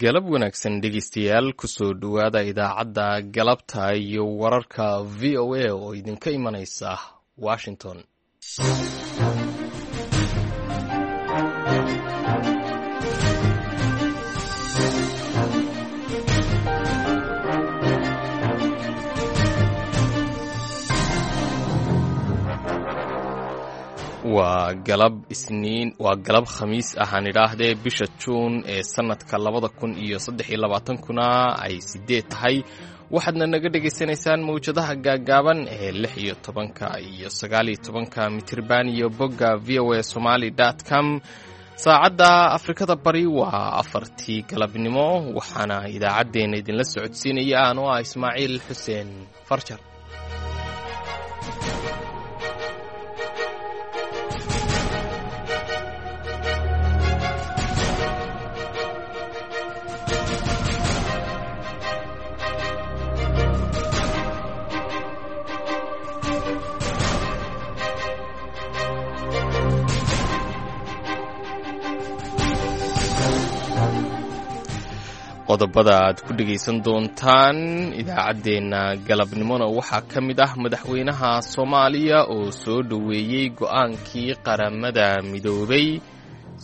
Galab wanaagsan dhegeystayaal, kusoo dhowaada idaacadda galabta iyo wararka VOA oo idinka imanaysa Washington. Waa galab Isniin, waa galab Khamiis ahaan idhaahdee, bisha Juun ee sanadka 2023-kuna ay 8 tahay. Waxaadna naga dhegaysanaysaan mawjadaha gaaggaaban ee 16-ka iyo 19-ka mitirban iyo bogga voasomali com. Saacadda Afrikada Bari waa 4-tii galabnimo, waxaana idaacaddeenna idinla socodsiinaya anoo ah Ismaaciil Xuseen Farjar. Qodobada aad ku dhegaysan doontaan idaacaddeenna galabnimona waxaa ka mid ah madaxweynaha Soomaaliya oo soo dhoweeyey go'aankii Qaramada Midoobay.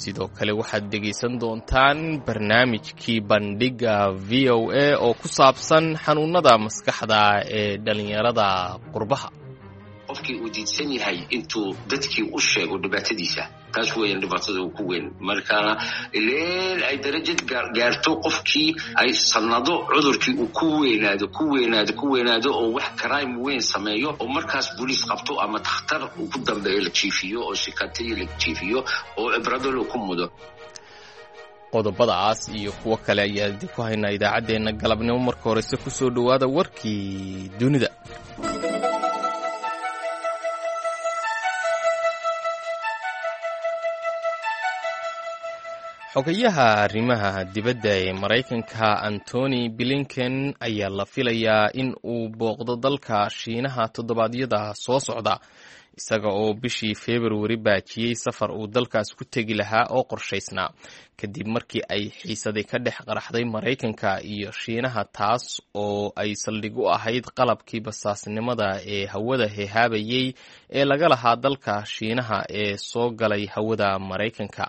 Sidoo kale waxaad dhegaysan doontaan barnaamijkii Bandhigga VOA oo ku saabsan xanuunada maskaxda ee dhallinyarada qurbaha. Qofkii uu diidsan yahay intuu dadkii u sheego dhibaatadiisa, taas weeyaan dhibaatada ku weyn. Markaana ileel ay darajad gaarto qofkii ay sanado cudurkii uu ku weynaado, ku weynaado, ku weynaado oo wax crime weyn sameeyo oo markaas booliis qabto ama takhtar uu ku dambeeyo la jiifiyo oo sikatiyo la jiifiyo oo cibrado loo ku mudo. Qodobadaas iyo kuwo kale ayaa idinku haynaa idaacaddeenna galabnimo. Marka horeyse kusoo dhowaada warkii dunida. Xogayaha arrimaha dibadda ee Maraykanka Antony Blinken ayaa la filayaa in uu booqdo dalka Shiinaha toddobaadyada soo socda, isaga oo bishii Februari baajiyey safar uu dalkaas ku tegi lahaa oo qorshaysnaa, kadib markii ay xiisaday ka dhex qaraxday Maraykanka iyo Shiinaha, taas oo ay saldhig u ahayd qalabkii basaasnimada ee hawada hehaabayey ee laga lahaa dalka Shiinaha ee soo galay hawada Maraykanka.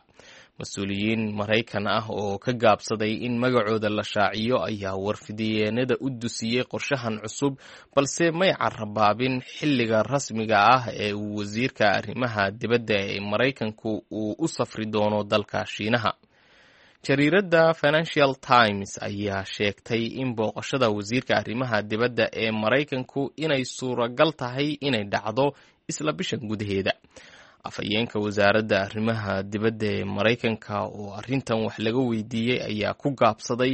Mas-uuliyiin Maraykan ah oo ka gaabsaday in magacooda la shaaciyo ayaa warfidiyeenada u dusiyey qorshahan cusub, balse may carabaabin xilliga rasmiga ah ee uu wasiirka arrimaha dibadda ee Maraykanku uu u safri doono dalka Shiinaha. Jariiradda Financial Times ayaa sheegtay in booqashada wasiirka arrimaha dibadda ee Maraykanku inay suuragal tahay inay dhacdo isla bishan gudaheeda. Afhayeenka wasaaradda arrimaha dibadda ee Maraykanka oo arrintan wax laga weydiiyey ayaa ku gaabsaday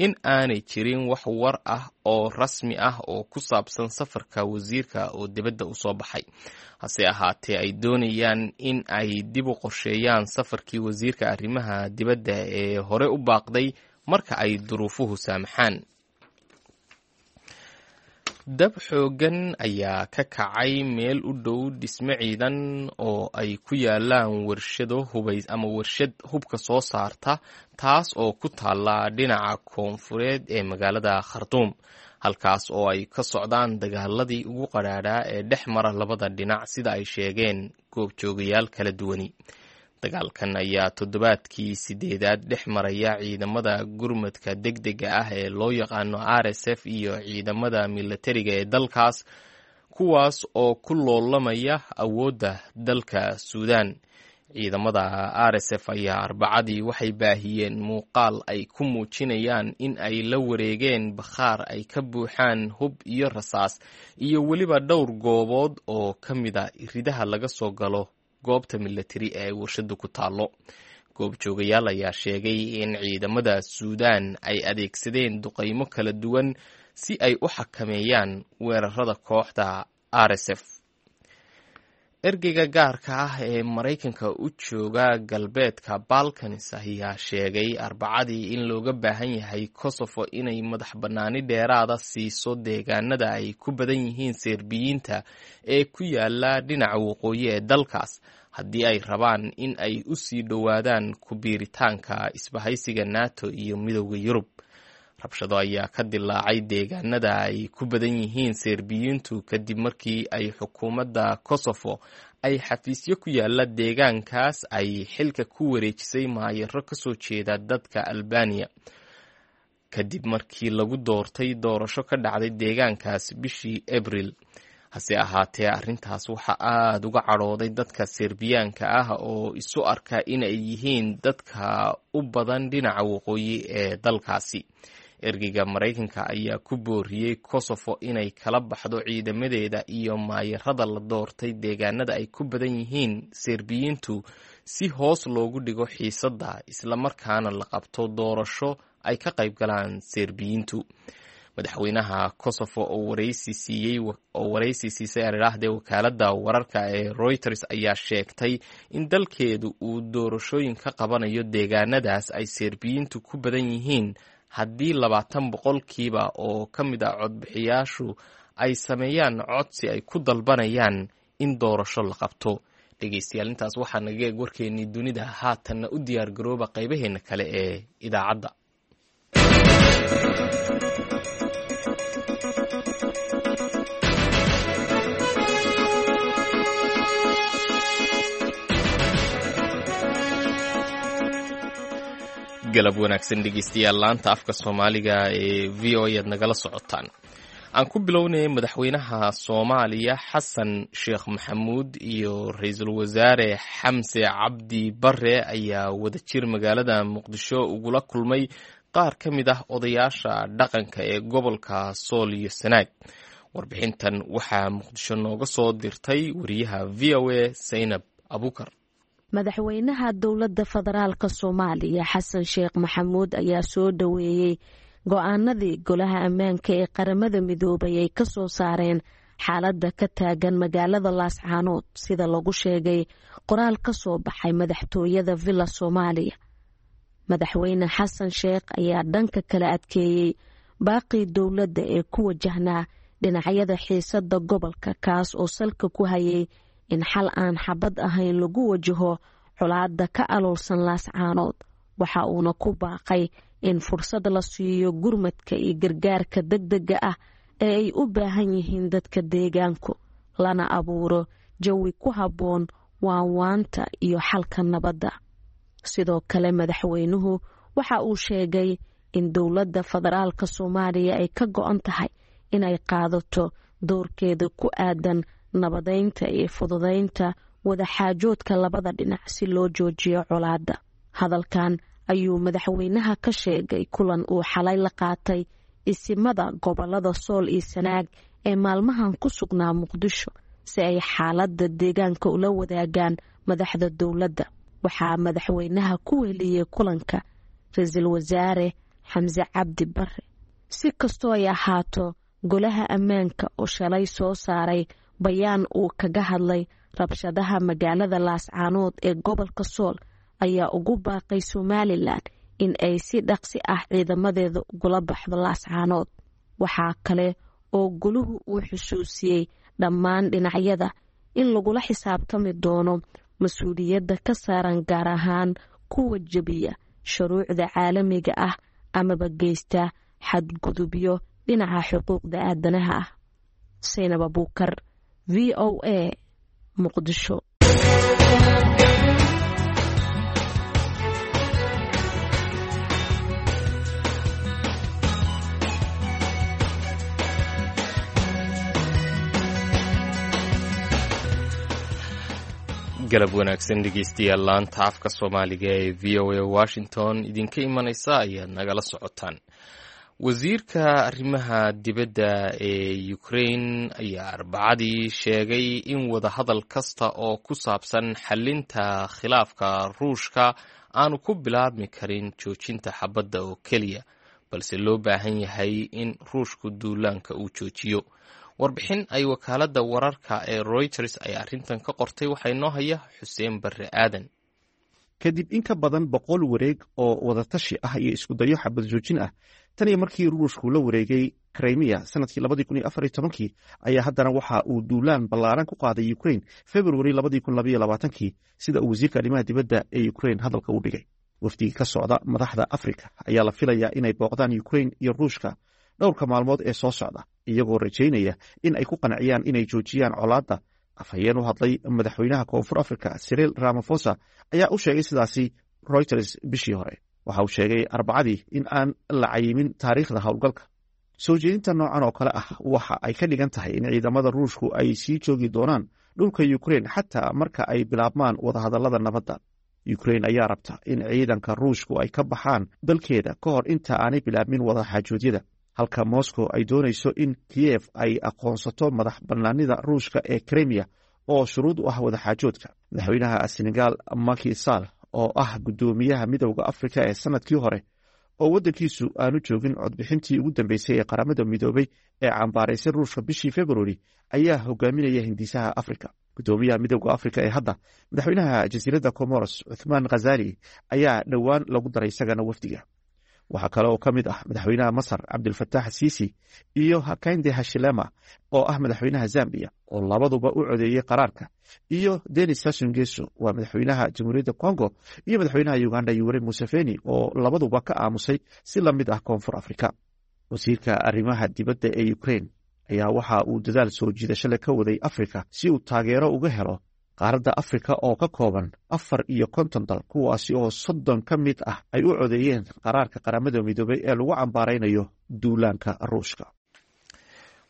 in aanay jirin wax war ah oo rasmi ah oo ku saabsan safarka wasiirka oo dibadda u soo baxay, hase ahaatee ay doonayaan in ay dib u qorsheeyaan safarkii wasiirka arrimaha dibadda ee hore u baaqday marka ay duruufuhu saamaxaan. Dab xooggan ayaa ka kacay meel u dhow dhisme ciidan oo ay ku yaalaan warshado hubays ama warshad hubka soo saarta, taas oo ku taalla dhinaca koonfureed ee magaalada Khartuum, halkaas oo ay ka socdaan dagaaladii ugu qadhaadhaa ee dhex mara labada dhinac, sida ay sheegeen goobjoogayaal kala duwani. Dagaalkan ayaa toddobaadkii 8aad dhex maraya ciidamada gurmadka degdega ah ee loo yaqaano RSF iyo ciidamada milatariga ee dalkaas, kuwaas oo ku loolamaya awoodda dalka Suudaan. Ciidamada RSF ayaa Arbacadii waxay baahiyeen muuqaal ay ku muujinayaan in ay la wareegeen bakhaar ay ka buuxaan hub iyo rasaas iyo weliba dhowr goobood oo ka mida ridaha laga soo galo goobta milatari ee ay warshadu ku taallo. Goobjoogayaal ayaa sheegay in ciidamada Suudaan ay adeegsadeen duqaymo kala duwan si ay u xakameeyaan weerarada kooxda RSF. Ergeyga gaarka ah ee Maraykanka u jooga galbeedka Balkans ayaa sheegay Arbacadii in looga baahan yahay Kosovo inay madax bannaani dheeraada siiso deegaanada ay ku badan yihiin Serbiyiinta ee ku yaala dhinaca waqooyi ee dalkaas, haddii ay rabaan in ay u sii dhowaadaan ku biiritaanka isbahaysiga NATO iyo Midowda Yurub. Rabshado ayaa ka dilaacay deegaanada ay ku badan yihiin Serbiyiintu kadib markii ay xukuumadda Kosovo ay xafiisyo ku yaala deegaankaas ay xilka ku wareejisay maayaro kasoo jeeda dadka Albaniya, kadib markii lagu doortay doorasho ka dhacday deegaankaas bishii Abril. Hase ahaatee, arrintaas waxaa aada uga cadhooday dadka Serbiyaanka ah oo isu arka inay yihiin dadka u badan dhinaca waqooyi ee dalkaasi. Ergeyga Maraykanka ayaa ku booriyey Kosovo inay kala baxdo ciidamadeeda iyo maayarada la doortay deegaanada ay ku badan yihiin Serbiyiintu si hoos loogu dhigo xiisadda, islamarkaana la qabto doorasho ay ka qayb galaan Serbiyiintu. Madaxweynaha Kosovo oo waraysi siisay aridhaahdee wakaaladda wararka ee Reuters ayaa sheegtay in dalkeedu uu doorashooyin ka qabanayo deegaanadaas ay Serbiyiintu ku badan yihiin haddii 20% oo ka mid ah codbixiyaashu ay sameeyaan codsi ay ku dalbanayaan in doorasho la qabto. Dhegeystayaal, intaas waxaa naga eeg warkeennii dunida. Haatanna u diyaar garooba qaybaheenna kale ee idaacadda. Galab wanaagsan dhegeystayaal, laanta afka Soomaaliga ee v o ayaad nagala socotaan. Aan ku bilownay, madaxweynaha Soomaaliya Xasan Sheekh Maxamuud iyo ra-iisul wasaare Xamse Cabdi Bare ayaa wadajir magaalada Muqdisho ugula kulmay qaar ka mid ah odayaasha dhaqanka ee gobolka Sool iyo Sanaag. Warbixintan waxaa Muqdisho nooga soo dirtay wariyaha v o a Saynab Abuukar. Madaxweynaha dowladda federaalka Soomaaliya Xasan Sheekh Maxamuud ayaa soo dhoweeyey go-aanadii golaha ammaanka ee Qaramada Midoobay ay ka soo saareen xaaladda ka taagan magaalada Laascaanood, sida lagu sheegay qoraal ka soo baxay madaxtooyada Villa Soomaaliya. Madaxweyne Xasan Sheekh ayaa dhanka kala adkeeyey baaqii dowladda ee ku wajahnaa dhinacyada xiisada gobolka, kaas oo salka ku hayay in xal aan xabad ahayn lagu wajaho colaadda ka aloolsan Laascaanood. Waxa uuna ku baaqay in fursad la siiyo gurmadka iyo gargaarka degdega ah ee ay u baahan yihiin dadka deegaanku, lana abuuro jawi ku habboon waanwaanta iyo xalka nabadda. Sidoo kale, madaxweynuhu waxa uu sheegay in dowladda federaalka Soomaaliya ay ka go-an tahay inay qaadato doorkeeda ku aadan nabadeynta iyo fududeynta wadaxaajoodka labada dhinac si loo joojiyo colaadda. Hadalkan ayuu madaxweynaha ka sheegay kulan uu xalay la qaatay isimada gobolada Sool iyo Sanaag ee maalmahan ku sugnaa Muqdisho si ay xaaladda deegaanka ula wadaagaan madaxda dowladda. Waxaa madaxweynaha ku weheliyey kulanka ra-iisul wasaare Xamse Cabdi Bare. Si kastoo ay ahaato, golaha ammaanka oo shalay soo saaray bayaan uu kaga hadlay rabshadaha magaalada Laascaanood ee gobolka Sool ayaa ugu baaqay Somalilan in ay si dhaqsi ah ciidamadeeda ugula baxdo Laascaanood. Waxaa kale oo goluhu uu xusuusiyey dhammaan dhinacyada in lagula xisaabtami doono mas-uuliyadda ka saaran, gaar ahaan kuwa jebiya shuruucda caalamiga ah amaba geysta xadgudubyo dhinaca xuquuqda aadanaha ah. Saynab Abuukar, v o a, Muqdisho. Galab wanaagsan dhegeystayaal, laanta afka Soomaaliga ee v o a Washington idinka imanaysa ayaad nagala socotaan. Wasiirka arrimaha dibadda ee Ukraine ayaa Arbacadii sheegay in wadahadal kasta oo ku saabsan xalinta khilaafka Ruushka aanu ku bilaabmi karin joojinta xabadda oo keliya, balse loo baahan yahay in Ruushku duulaanka uu joojiyo. Warbixin ay wakaaladda wararka ee Reuters ay arrintan ka qortay waxaa inoo haya Xuseen Barre Aadan. Kadib in ka badan 100 wareeg oo wadatashi ah iyo iskudayo xabad joojin ah tan iyo markii Ruushku la wareegay Krimiya sanadkii 2014-kii, ayaa haddana waxa uu duulaan ballaaran ku qaaday Ukrain Februari 2022-kii, sida uu wasiirka arrimaha dibadda ee Ukrain hadalka u dhigay. Wafdiga ka socda madaxda Afrika ayaa la filayaa inay booqdaan Ukrain iyo Ruushka dhowrka maalmood ee soo socda, iyagoo rajaynaya in ay ku qanciyaan inay joojiyaan colaadda. Afhayeen u hadlay madaxweynaha Koonfur Africa Cyril Ramaphosa ayaa u sheegay sidaasi Reuters bishii hore. Waxa uu sheegay Arbacadii in aan la cayimin taariikhda howlgalka. Soo jeedinta noocan oo kale ah waxa ay ka dhigan tahay in ciidamada Ruushku ay sii joogi doonaan dhulka Ukrain xataa marka ay bilaabmaan wadahadallada nabadda. Ukrain ayaa rabta in ciidanka Ruushku ay ka baxaan dalkeeda ka hor inta aanay bilaabmin wadaxaajoodyada, halka Moscow ay doonayso in Kiyev ay aqoonsato madax bannaanida Ruushka ee Krimiya oo shuruud u ah wadaxaajoodka. Madaxweynaha Senegal Macky Sall, oo ah guddoomiyaha Midowda Afrika ee sanadkii hore, oo waddankiisu aanu joogin codbixintii ugu dambeysay ee Qaramada Midoobay ee cambaaraysay Ruushka bishii Februari, ayaa hogaaminaya hindisaha Afrika. Guddoomiyaha Midowda Afrika ee hadda, madaxweynaha jasiiradda Comoros Cuthmaan Khazali, ayaa dhowaan lagu daray isagana wafdiga. Waxaa kale oo ka mid ah madaxweynaha Masar Cabdilfataax Siisi iyo Hakainde Hashilema oo ah madaxweynaha Zambiya, oo labaduba u codeeyey qaraarka, iyo Denis Sassou Nguesso, waa madaxweynaha Jamhuuriyadda Congo, iyo madaxweynaha Uganda Yoweri Museveni, oo labaduba ka aamusay si la mid ah Koonfur Afrika. Wasiirka arrimaha dibadda ee Ukrain ayaa waxa uu dadaal soo jiidasho leh ka waday Afrika si uu taageero uga helo qaaradda Afrika oo ka kooban 54 dal, kuwaasi oo 30 ka mid ah ay u codeeyeen qaraarka Qaramada Midoobay ee lagu cambaaraynayo duulaanka Ruushka.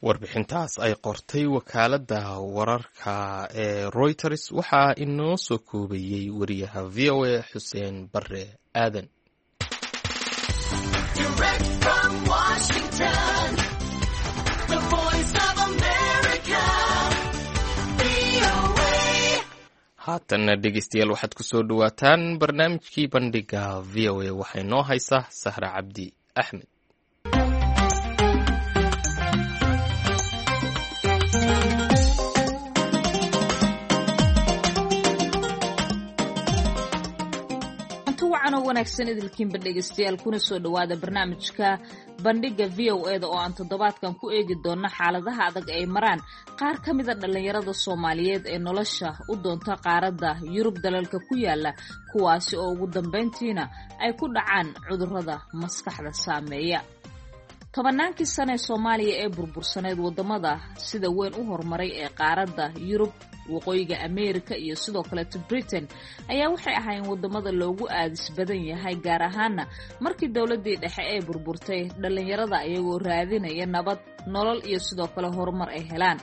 Warbixintaas ay qortay wakaaladda wararka ee Reuters waxaa inoo soo koobayey wariyaha VOA Xuseen Barre Aadan. Direct from Washington, the Voice of America, VOA. Haatanna dhegeystayaal, waxaad ku soo dhowaataan barnaamijkii Bandhiga VOA. Waxaa inoo haysa Sahra Cabdi Axmed. Anti wacan oo wanaagsan idilkiinba dhegaystayaal, kuna soo dhowaada barnaamijka Bandhigga VOA-da oo aan toddobaadkan ku eegi doonno xaaladaha adag ay maraan qaar ka mida dhallinyarada Soomaaliyeed ee nolosha u doonta qaaradda Yurub dalalka ku yaala, kuwaasi oo ugu dambayntiina ay ku dhacaan cudurrada maskaxda saameeya. Tobannaankii sane ee Soomaaliya ee burbursaneed, waddamada sida weyn u horumaray ee qaaradda Yurub, Waqooyiga Ameerika iyo sidoo kaleeto Britain ayaa waxay ahaayeen waddamada loogu aadis badan yahay, gaar ahaana markii dowladdii dhexe ee burburtay, dhallinyarada iyagoo raadinaya nabad, nolol iyo sidoo kale horumar ay helaan.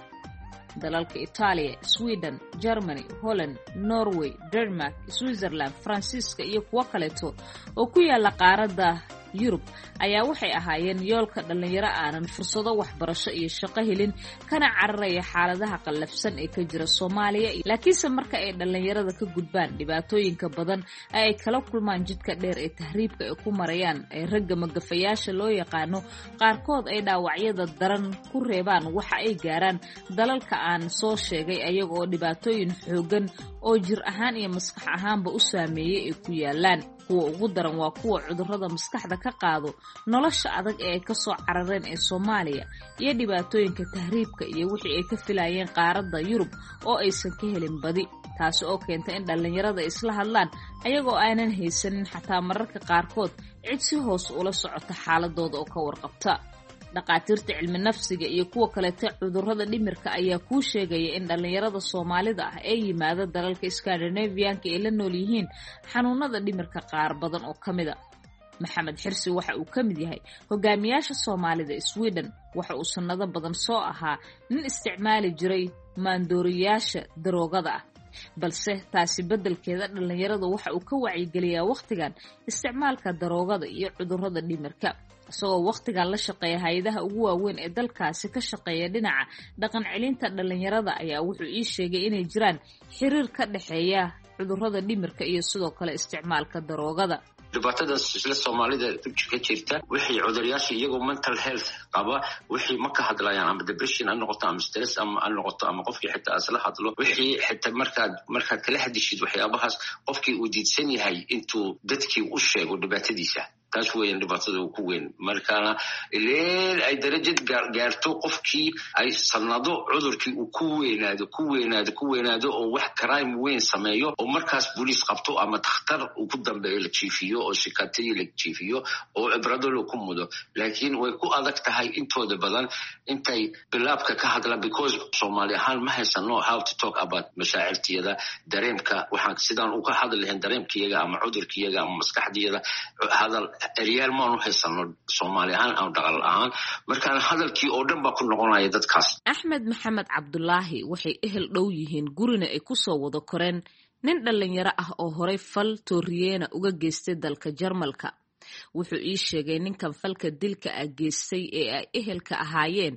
Dalalka Itaaliya, Sweden, Germany, Holland, Norway, Denmark, Switzerland, Faransiiska iyo kuwo kaleeto oo ku yaala qaaradda Yurub ayaa waxay ahaayeen yoolka dhallinyaro aanan fursado waxbarasho iyo shaqo helin, kana cararaya xaaladaha qallafsan ee ka jira Soomaaliya. Laakiinse marka ay dhallinyarada ka gudbaan dhibaatooyinka badan ee ay kala kulmaan jidka dheer ee tahriibka ay ku marayaan, ee ragga magafayaasha loo yaqaano qaarkood ay dhaawacyada daran ku reebaan, waxa ay gaaraan dalalka aan soo sheegay ayaga oo dhibaatooyin xooggan oo jir ahaan iyo maskax ahaanba u saameeyey ay ku yaalaan. Kuwa ugu daran waa kuwa cudurrada maskaxda ka qaado nolosha adag ee ay kasoo carareen ee Soomaaliya iyo dhibaatooyinka tahriibka iyo wixii ay ka filayeen qaaradda Yurub oo aysan ka helin badi, taasi oo keenta in dhallinyarada isla hadlaan ayagoo aanan haysanin xataa mararka qaarkood cid si hoos ula socota xaaladooda oo ka warqabta. Dhakhaatiirta cilmi nafsiga iyo kuwa kaleeta cudurrada dhimirka ayaa kuu sheegaya in dhallinyarada Soomaalida ah ee yimaada dalalka Skandinaviyanka ay la nool yihiin xanuunada dhimirka qaar badan oo ka mida. Maxamed Xirsi waxa uu ka mid yahay hogaamiyaasha Soomaalida Sweden. Waxa uu sannado badan soo ahaa nin isticmaali jiray maandooriyaasha daroogada ah, balse taasi beddelkeeda dhallinyarada waxa uu ka wacyigeliyaa wakhtigan isticmaalka daroogada iyo cudurrada dhimirka, isagoo wakhtigan la shaqeeya hay-adaha ugu waaweyn ee dalkaasi ka shaqeeya dhinaca dhaqan celinta dhallinyarada. Ayaa wuxuu ii sheegay inay jiraan xiriir ka dhexeeya cudurrada dhimirka iyo sidoo kale isticmaalka daroogada. Dhibaatadaas isla Soomaalida ka jirta, wixii cuduryaasha iyagoo mental health qaba wixii ma ka hadlayaan, ama depression ha noqoto ama stress ama ha noqoto, ama qofkii xitaa isla hadlo, wixii xitaa markaad kala hadishid waxyaabahaas, qofkii uu diidsan yahay intuu dadkii u sheego dhibaatadiisa. Taas weeyaan dhibaatada ku weyn. Markaana ileen ay darajad gaarto qofkii ay sanado cudurkii uu ku weynaado, ku weynaado, ku weynaado, oo wax crime weyn sameeyo, oo markaas booliis qabto ama takhtar uu ku dambeeyo, la jiifiyo oo shikatadii la jiifiyo oo cibrado loo ku mudo. Laakiin way ku adag tahay intooda badan intay bilaabka ka hadlaan, because Soomaali ahaan ma haysano how to talk about mashaacirtiyada, dareemka. Waxaan sidaan uga hadli lahayn dareemkiyaga ama cudurkiyaga ama maskaxdiyada, hadal eryaal maanu haysano Soomaali ahaan ama dhaqan ahaan. Markaan hadalkii oo dhan baa ku noqonaya dadkaas. Axmed Maxamed Cabdulaahi waxay ehel dhow yihiin, gurina ay kusoo wada koreen nin dhallinyaro ah oo horey fal tooriyeena uga geystay dalka Jarmalka. Wuxuu ii sheegay ninkan falka dilka ah geystay ee ay ehelka ahaayeen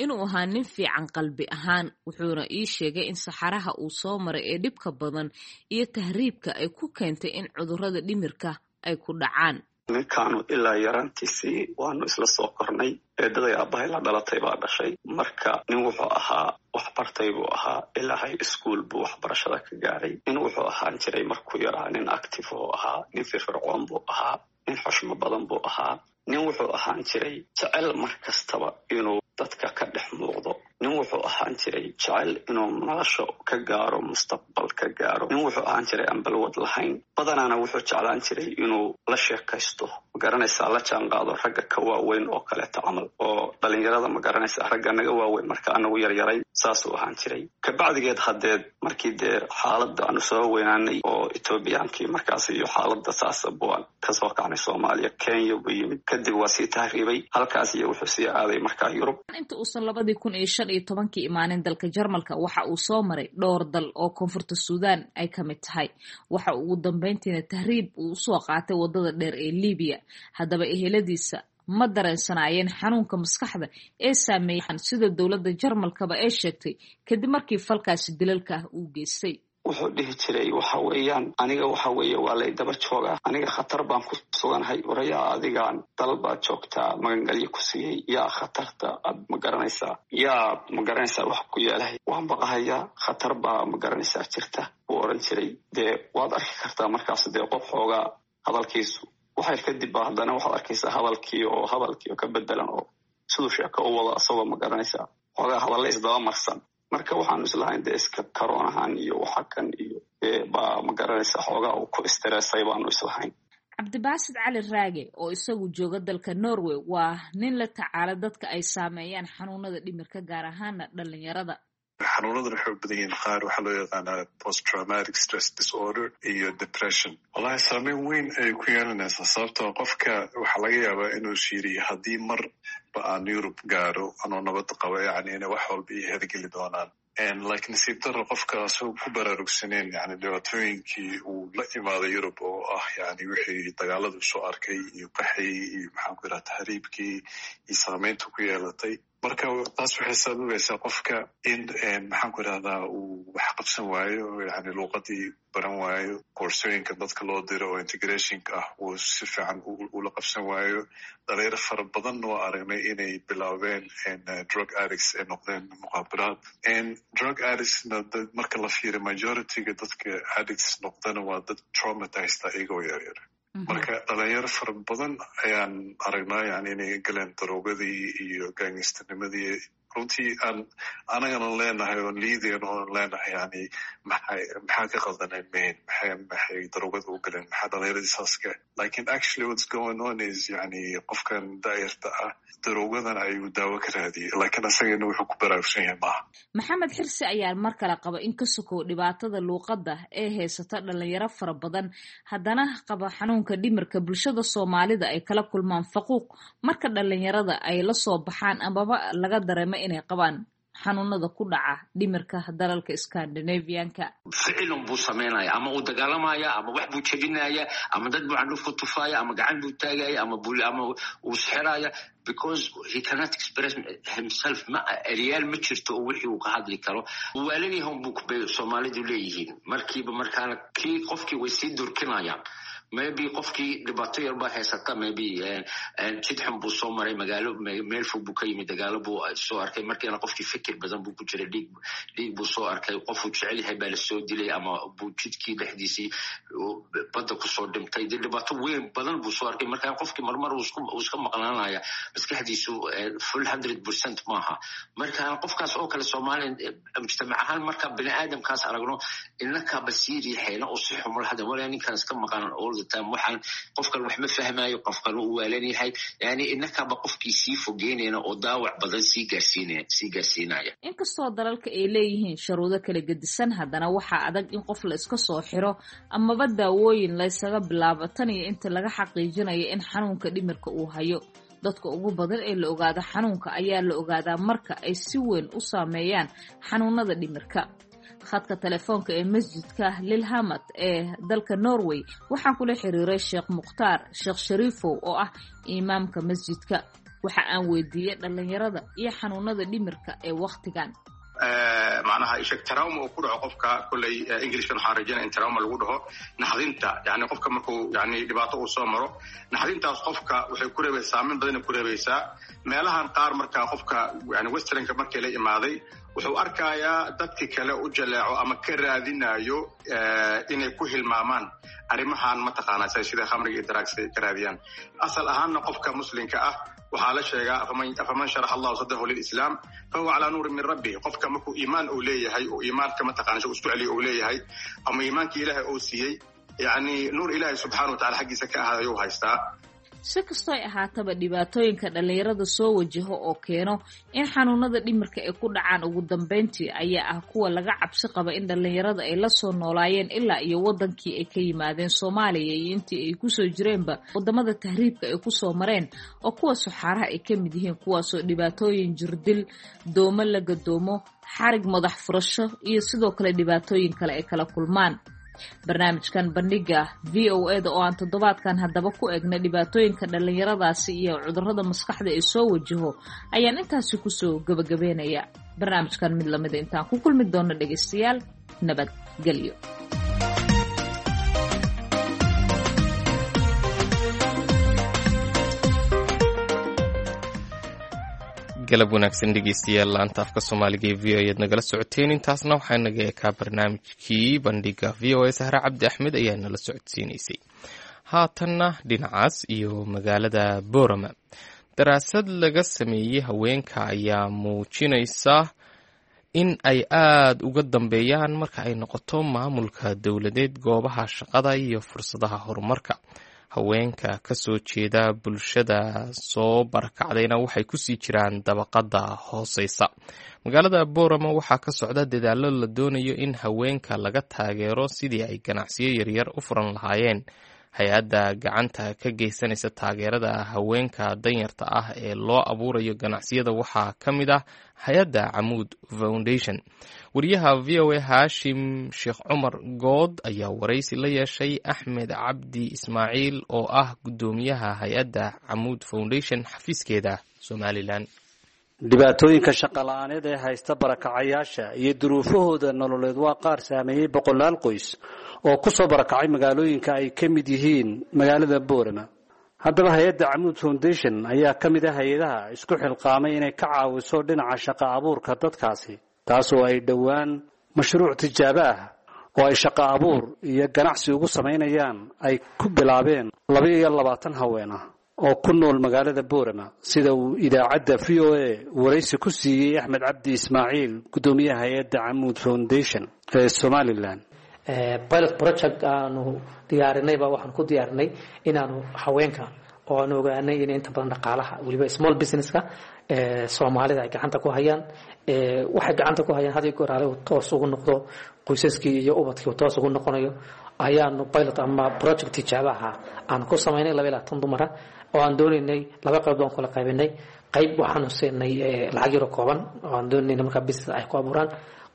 inuu ahaa nin fiican qalbi ahaan, wuxuuna ii sheegay in saxaraha uu soo maray ee dhibka badan iyo tahriibka ay ku keentay in cudurrada dhimirka ay ku dhacaan. Ninkaanu ilaa yaraantiisii waanu isla soo kornay. Eedaday aabbahay la dhalatay baa dhashay. Marka nin wuxuu ahaa waxbartay buu ahaa, ilaa high school buu waxbarashada ka gaaray. Nin wuxuu ahaan jiray markuu yaraa nin active oo ahaa, nin firfircoon buu ahaa, nin xushmo badan buu ahaa, nin wuxuu ahaan jiray jecel mar kastaba inuu dadka ka dhex muuqdo, nin wuxuu ahaan jiray jecel inuu nolosha ka gaaro, mustaqbal ka gaaro, nin wuxuu ahaan jiray aan balwad lahayn. Badanaana wuxuu jeclaan jiray inuu la sheekaysto, magaranaysaa, la jaanqaado ragga ka waaweyn oo kaleeto camal, oo dhalinyarada, magaranaysaa, ragga naga waaweyn marka anagu yaryaray, saasuu ahaan jiray. Kabacdigeed haddeed markii dee xaaladda aanu soo weynaanay oo Etoobiyaankii markaas iyo xaaladda saasa buan kasoo kacnay Soomaaliya, Kenya buu yimid, kadib waa sii tahriibay halkaas iyo wuxuu sii aaday markaa Yurub. Inta uusan 2015-kii imaanin dalka Jarmalka, waxa uu soo maray dhowr dal oo Koonfurta Suudaan ay ka mid tahay. Waxa uu ugu dambeyntiina tahriib uu usoo qaatay wadada dheer ee Liibiya. Haddaba eheladiisa ma dareensanaayeen xanuunka maskaxda ee saameeyay, sida dowladda Jarmalkaba ee sheegtay, kadib markii falkaasi dilalka ah uu geystay? Wuxuu dhihi jiray, waxa weeyaan, aniga waxa weeye waa lay daba joogaa, aniga khatar baan ku suganahay. Warayaa, adigaan dal baad joogtaa magangalyo ku siiyey, yaa khatarta aad ma garanaysaa, yaa ma garanaysaa wax ku yeelahay? Waan baqahayaa, khatar baa ma garanaysaa jirta, buu oran jiray. Dee waad arki kartaa markaas dee qof xoogaa hadalkiisu waxyar kadib ba haddana waxaad arkaysaa hadalkii oo ka bedelan oo siduu sheeko u wado, asagoo ma garanaysaa xoogaa hadalla isdaba marsan. Marka waxaanu islahayn dee iska karoonahan iyo waxa kan iyo baa ma garanaysaa xoogaa uu ku istareesay baanu islahayn. Cabdibaasid Cali Raage oo isagu jooga dalka Norway waa nin la tacaala dadka ay saameeyaan xanuunada dhimirka, gaar ahaana dhalinyarada. Xanuunadan waxay u badan yihiin qaar waxaa loo yaqaanaa post traumatic stress disorder iyo depression. Wallahi saameyn weyn ayay ku yeelanaysaa, sababtoo qofka waxaa laga yaabaa inuu shiiriyo haddii marba aan Yurub gaaro anoo nabad qaba, yani inay wax walba iyo hergeli doonaan. Laakiin nasiib daro, qofka asagoo ku baraarugsaneen yani dhibaatooyinkii uu la imaaday Yurub, oo ah yani wixii dagaaladu soo arkay iyo qaxii iyo maxaan ku yidhaha tahriibkii iyo saameynta ku yeelatay. Marka taas waxay sababaysaa qofka in maxaan ku idhahdaa uu wax qabsan waayo, yani luuqadii baran waayo, koorsooyinka dadka loo diro oo integrationka ah uu si fiican ula qabsan waayo. Dhalinyaro fara badan waa aragnay inay bilaabeen drug addicts ay noqdeen, muqaabiraad drug addictsna. Marka la fiiriyo majorityga dadka addicts noqdana waa dad traumatized iyagoo yaryar. Marka dhalinyaro fara badan ayaan aragnaa yani inay galeen darogadii iyo gangsternimadii. Runtii aan anagana leenahay oon liidayn oon leenahay, yani maxay, maxaa ka qaldanay main, maxay darogada u galeen, maxaa dhalinyaradii saaska? Lakin actually what's going on is yani qofkan daayarta ah darogadan ayuu daawo ka raadiyay, lakin asagana wuxuu ku baraarugsan yahay maaha. Maxamed Xirsi ayaa mar kale qaba in ka sokow dhibaatada luuqadda ee haysata dhalinyaro fara badan haddana qaba xanuunka dhimirka, bulshada Soomaalida ay kala kulmaan faquuq marka dhalinyarada ay la soo baxaan amaba laga dareemo inay qabaan xanuunada ku dhaca dhimirka dalalka Scandinavianka. Ficilun buu samaynaya, ama uu dagaalamaya, ama wax buu jebinaya, ama dad buu candhuf ku tufaya, ama gacan buu taagaya, ama uu sixiraya, because he cannot express himself. Ma eryaal ma jirto oo wixii uu ka hadli karo. Waalanyahan buu bay Soomaalidu leeyihiin markiiba. Markaana kii qofkii way sii durkinayaan. Maybe qofkii dhibaato yar baa haysata, maybe jid xun buu soo maray, magaalo meel fog buu ka yimid, dagaalo buu soo arkay. Markiina qofkii fikir badan buu ku jiray, dhiig buu soo arkay, qofuu jecel yahay baa lasoo dilay ama buu jidkii dhexdiisii badda kusoo dhintay. Dee dhibaato weyn badan buu soo arkay. Marka qofkii marmar uu iska maqnaanaya, maskaxdiisu full 100% maaha. Marka qofkaas oo kale Soomaaliya mujtamac ahaan marka bini aadamkaas aragno, inakaba sii riixayna oo si xumul hada walaa ninkan iska maqan all the time, waxaan qofkan wax ma fahmayo, qofkan uu waalan yahay. Yani inakaba qofkii sii fogeynayna oo daawac badan sii gaarsiinaya. Inkastoo dalalka ay leeyihiin sharuudo kala gedisan, haddana waxaa adag in qof la iska soo xiro amaba daawooyin laysaga bilaabo tan iyo inta laga xaqiijinayo in xanuunka dhimirka uu hayo. Dadka ugu badan ee la ogaado xanuunka ayaa la ogaadaa marka ay si weyn u saameeyaan xanuunada dhimirka. Khadka telefoonka ee masjidka Lilhamad ee dalka Norway waxaan kula xiriiray Sheekh Mukhtaar Sheekh Shariifow oo ah imaamka masjidka. Waxa aan weydiiyey dhallinyarada iyo xanuunada dhimirka ee wakhtigan. Macnaha isheg trauma uu ku dhaco qofka, kolley Englishkan waxaan rajaynaya in trauma lagu dhaho naxdinta. Yani qofka markuu yani dhibaato uu soo maro, naxdintaas qofka waxay ku reebaysaa saameyn badanay ku reebaysaa meelahan qaar. Marka qofka yani westernka markii la imaaday, wuxuu arkayaa dadki kale u jaleeco ama ka raadinayo inay ku hilmaamaan arrimahan, mataqaanaa, sida khamriga iyo drugs ay ka raadiyaan. Asal ahaanna qofka muslimka ah waxaa la sheegaa, "Afaman sharaxa Allahu sadrahu lilislaam fahuwa calaa nuurin min rabbih." Qofka markuu iimaan uu leeyahay oo iimaanka mataqana isku celiyo uu leeyahay ama iimaankii Ilaahay uu siiyey, yani nuur Ilaahay subxaana wa tacala xaggiisa ka ahaaday ayuu haystaa. Si kastoo ay ahaataba, dhibaatooyinka dhallinyarada soo wajaho oo keeno in xanuunada dhimirka ay ku dhacaan ugu dambeyntii ayaa ah kuwa laga cabsi qaba in dhallinyarada ay la soo noolaayeen ilaa iyo wadankii ay ka yimaadeen Soomaaliya iyo intii ay kusoo jireenba wadamada tahriibka ay kusoo mareen, oo kuwa suxaaraha ay ka mid yihiin, kuwaasoo dhibaatooyin jirdil, doomo la gadoomo, xarig madax furasho iyo sidoo kale dhibaatooyin kale ay kala kulmaan. Barnaamijkan bandhiga VOA da oo aan toddobaadkan haddaba ku eegna dhibaatooyinka dhallinyaradaasi iyo cudurrada maskaxda ee soo wajaho ayaan intaasi kusoo gabagabeynaya. Barnaamijkan mid lamida intaan ku kulmi doono, dhegaystayaal, nabadgelyo. Galab wanaagsan dhegeystayaal, laanta afka Soomaaliga ee VOA ayaad nagala socoteen. Intaasna waxaa naga ekaa barnaamijkii bandhiga VOA. Sahre Cabdi Axmed ayaa nala socodsiinaysay. Haatanna dhinacaas iyo magaalada Boorama, daraasad laga sameeyey haweenka ayaa muujinaysa in ay aada uga dambeeyaan marka ay noqoto maamulka dowladeed, goobaha shaqada iyo fursadaha horumarka. Haweenka ka soo jeeda bulshada soo barakacdayna waxay kusii jiraan dabaqada hooseysa. Magaalada Boorama waxaa ka socda dadaallo la doonayo in haweenka laga taageero sidii ay ganacsiyo yaryar u furan lahaayeen. Hay-adda gacanta ka geysanaysa taageerada haweenka danyarta ah ee loo abuurayo ganacsiyada waxaa ka mid ah hay-adda Camuud Foundation. Wariyaha VOA Haashim Sheekh Cumar Good ayaa waraysi la yeeshay Axmed Cabdi Ismaaciil oo ah guddoomiyaha hay-adda Camuud Foundation xafiiskeeda Somalilan. Dhibaatooyinka shaqola'aaneed ee haysta barakacayaasha iyo duruufahooda nololeed waa qaar saameeyey boqolaal qoys oo ku soo barakacay magaalooyinka ay ka mid yihiin magaalada Boorama. Haddaba hay-adda Camuud Foundation ayaa ka mid ah hay-adaha isku xilqaamay inay ka caawiso dhinaca shaqa abuurka dadkaasi, taas oo ay dhowaan mashruuc tijaabo ah oo ay shaqa abuur iyo ganacsi ugu samaynayaan ay ku bilaabeen 22 haween ah oo ku nool magaalada Boorama, sida uu idaacadda VOA waraysi ku siiyey Axmed Cabdi Ismaaciil, guddoomiyaha hay-adda Camuud Foundation ee Somalilan. Pilot project aanu diyaarinay baa waxaan ku diyaarinay inaanu haweenka oo aanu ogaanay in inta badan dhaqaalaha, weliba small businesska Soomaalida ay gacanta ku hayaan, waxay gacanta ku hayaan had iyo goor ale uu toos ugu noqdo qoysaskii iyo ubadkii uu toos ugu noqonayo, ayaanu pilot ama project tijaabaha aanu ku samaynay 22 dumara oo aan doonaynay. Laba qayb baan kula qaybinay. Qayb waxaanu siinay lacag yaro kooban oo aan doonaynay markaa business ay ku abuuraan.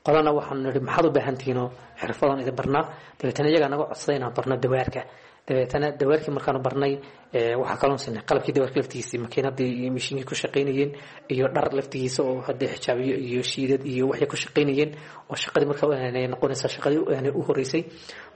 Qolana waxaanu nidhi, "Maxaad u baahan tihiinoo xirfadan idin barnaa?" Dabeetana iyagaa naga codsaday inaan barno dawaarka. Dabeetana dawaarkii markaanu barnay, waxaa kaloon siinay qalabkii dawaarka laftigiisii, makiinadii iyo mishiinkii ku shaqaynayeen, iyo dhar laftigiisa oo haddee xijaabiyo iyo shiidad iyo waxay ku shaqaynayeen, oo shaqadii marka noqonaysa shaqadii u horeysay.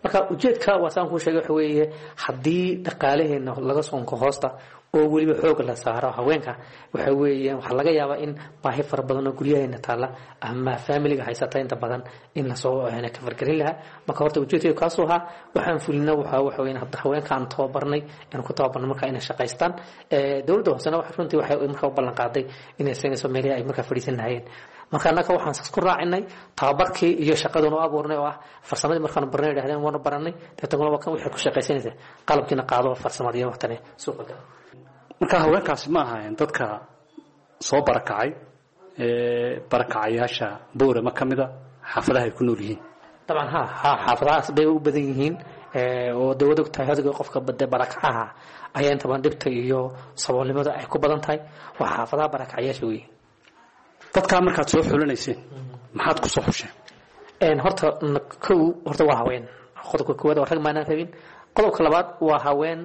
Marka ujeedka waa saan kuu sheegay, waxa weeye haddii dhaqaalaheena laga soonko hoosta oo weliba xooga la saaro haweenka, waxa weeyaan waxaa laga yaabaa in baahi fara badan oo guryaheena taalla ama faamiliga haysata inta badan in lasoo kafargelin lahaa. Marka horta ujeedkeedu kaasuu ahaa. Waxaan fulina waxa weeyaan hadda haweenka aan tababarnay, aan ku tababarnay marka inay shaqaystaan. Dowladda hoosena waxa runtii waxay markaa u ballan qaaday inay siinayso meelihii ay markaa fadhiisan lahayeen. Marka annaka waxaan ku raacinay tababarkii iyo shaqadan u abuurnay oo ah farsamadii markaanu barnay, yidhahdeen waanu baranay, dabeetana waa kan waxay ku shaqaysanaysaa, qalabkiina qaado, farsamadii waqtane suuqa gala. Marka haweenkaasi ma ahayn dadka soo barakacay ee barakacayaasha Boorama ka mida xaafadaha ay ku nool yihiin? Dabcan ha ha, xaafadahaas bay u badan yihiin, oo dawlad og tahay hadiga qofka bade barakacaha ayaa inta badan dhibta iyo saboolnimada ay ku badan tahay, waa xaafadaha barakacayaasha weeye. Dadkaa markaad soo xulanayseen maxaad ku soo xusheen? Horta kow, horta waa haween, qodobka koowaad oo rag maanaan rabin. Qodobka labaad waa haween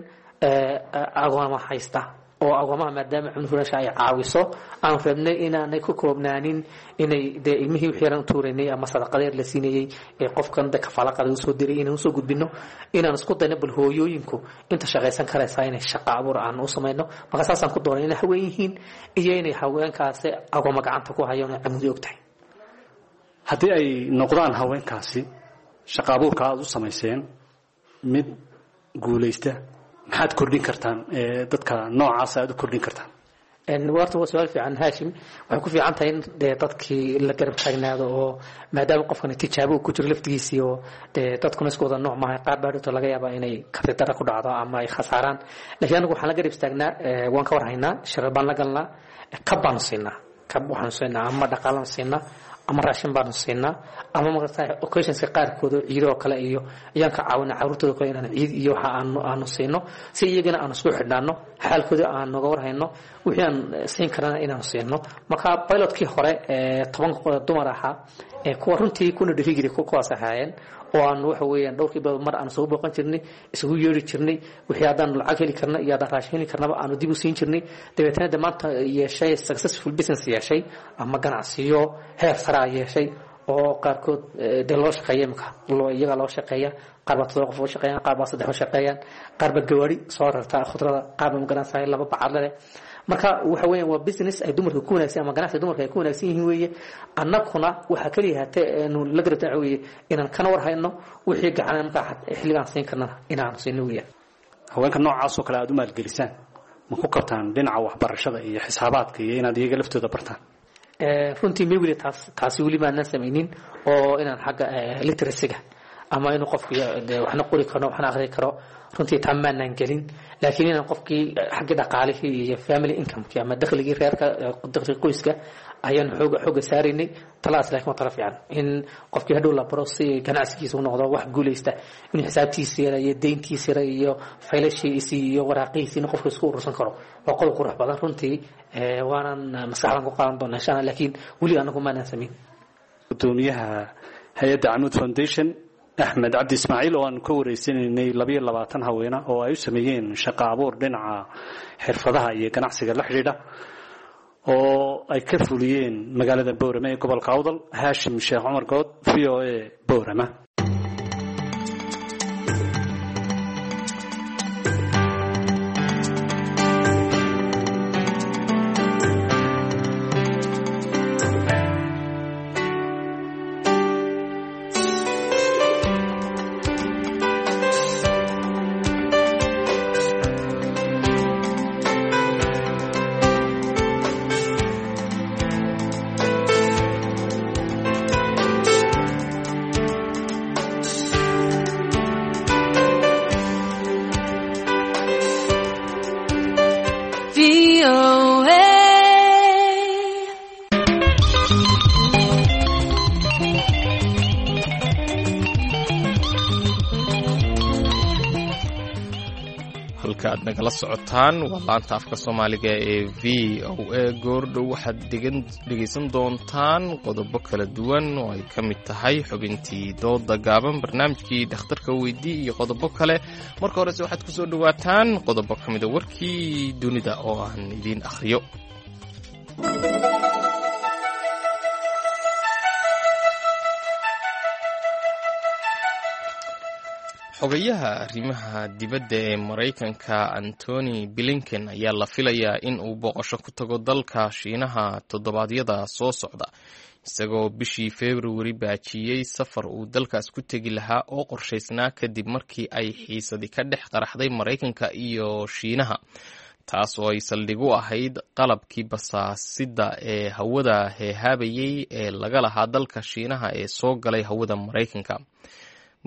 agooma haysta, oo agoomaha maadaama cunfurasha ay caawiso aan rabnay inaanay ku koobnaanin inay dee ilmihii wixii yaran tuuraynay ama sadaqadeer la siinayey ee qofkan de kafaalaqada usoo diray inaan usoo gudbino, inaan isku dayno bal hooyooyinku inta shaqaysan karaysaa inay shaqa abuur aan u samayno. Marka saasaan ku doonay inay haween yihiin iyo inay haweenkaasi agooma gacanta ku hayaan oo camudi og tahay. Haddii ay noqdaan haweenkaasi shaqa abuurka aada u samayseen mid guulaysta, maxaad kordhin kartaan dadka noocaas aada u kordhin kartaan? Horta waa su-aal fiican, Haashim. Waxay ku fiican tahay in dee dadkii la garab taagnaado, oo maadaama qofkani tijaabo uu ku jiro laftigiisii, oo dee dadkuna isku wada nooc maaha, qaar baa dhigto laga yaabaa inay kartidara ku dhacdo ama ay khasaaraan. Laakiin anigu waxaan la garab istaagnaa, waan ka warhaynaa, shirar baan la galnaa, kab baanu siinaa, kab waxaanu siinaa ama dhaqaalaan siinaa ama raashin baanu siinaa ama magarata occasionska qaarkood oo ciido oo kale iyo ayaan ka caawina carruurtooda kale inaan ciid iyo waxa aanu siino, si iyagana aanu isku xidhnaano, xaalkooda aan noga warhayno, wixii aan siin karana inaanu siino. Marka pilotkii hore ee 10 dumar ahaa ee kuwa runtii kuna dhiiri kuwaas ahaayeen, oo aan waxa weeyaan dhowrkii bilood mar aan soo booqan jirnay, isugu yeeri jirnay, wixii haddaan lacag heli karna iyo haddaan raashin heli karnaba aanu dib u siin jirnay. Dabeetana de maanta yeeshay successful business yeeshay ama ganacsiyo heer sare yeeshay, oo qaarkood dee loo shaqeeya imika, loo iyaga loo shaqeeya, qaar baa 7 qof u shaqeeyaan, qaar baa 3 u shaqeeyaan, qaar baa gawaari soo rarta khudrada, qaar baa magaranaysaa 2 bacadle leh. Marka waxa weeyaan waa business ay dumarka ku wanaagsan ama ganacsi dumarka ay ku wanaagsan yihiin weeye. Annaguna waxaa kaliya hatee aanu la garab taagan weeye inaan kana war hayno wixii gacan markaa xilligaan siin karnana inaanu siino weeyaan. Haweenka noocaas oo kale aada u maalgelisaan ma ku qabtaan dhinaca waxbarashada iyo xisaabaadka iyo inaad iyaga laftooda bartaan? Runtii may weli taasi weli maanaan samaynin, oo inaan xagga literacyga ama inuu qofku waxna qori karo waxna akhri karo runtii taa maanaan gelin. Laakiin inaan qofkii xaggii dhaqaalihii iyo family incomekii ama dakhligii reerka, dakhliga qoyska ayaan xooga saaraynay talaas. Laakiin waa tala fiican in qofkii hadhow la baro si ganacsigiisa u noqdo wax guulaysta, inuu xisaabtiisa yara iyo deyntiisa yara iyo faylashiisii iyo waraaqihiisi inuu qofku isku urursan karo waa qodob qurux badan runtii, waanan maskaxdan ku qaadan doonaa insha Allah, laakiin weli anagu maanaan samayn. Gudoomiyaha hay-adda Camuud Foundation Axmed Cabdi Ismaaciil oo aanu ka wareysanaynay 22 haweena oo ay u sameeyeen shaqo abuur dhinaca xirfadaha iyo ganacsiga la xidhiidha oo ay ka fuliyeen magaalada Boorama ee gobolka Awdal. Haashim Sheekh Cumar Good, VOA, Boorama. Halka aad nagala socotaan waa laanta afka soomaaliga ee v o a. Goordhow waxaad dhegaysan doontaan qodobo kala duwan oo ay ka mid tahay xubintii dooda gaaban, barnaamijkii dhakhtarka weydii iyo qodobo kale. Marka horese waxaad ku soo dhowaataan qodobo ka mida warkii dunida oo aan idiin akhriyo. Xogayaha arrimaha dibadda ee Maraykanka Antony Blinken ayaa la filayaa in uu booqasho ku tago dalka Shiinaha toddobaadyada soo socda, isagoo bishii Februari baajiyey safar uu dalkaas ku tegi lahaa oo qorshaysnaa kadib markii ay xiisadi ka dhex qaraxday Maraykanka iyo Shiinaha, taas oo ay saldhig u ahayd qalabkii basaasidda ee hawada heehaabayey ee laga lahaa dalka Shiinaha ee soo galay hawada Maraykanka.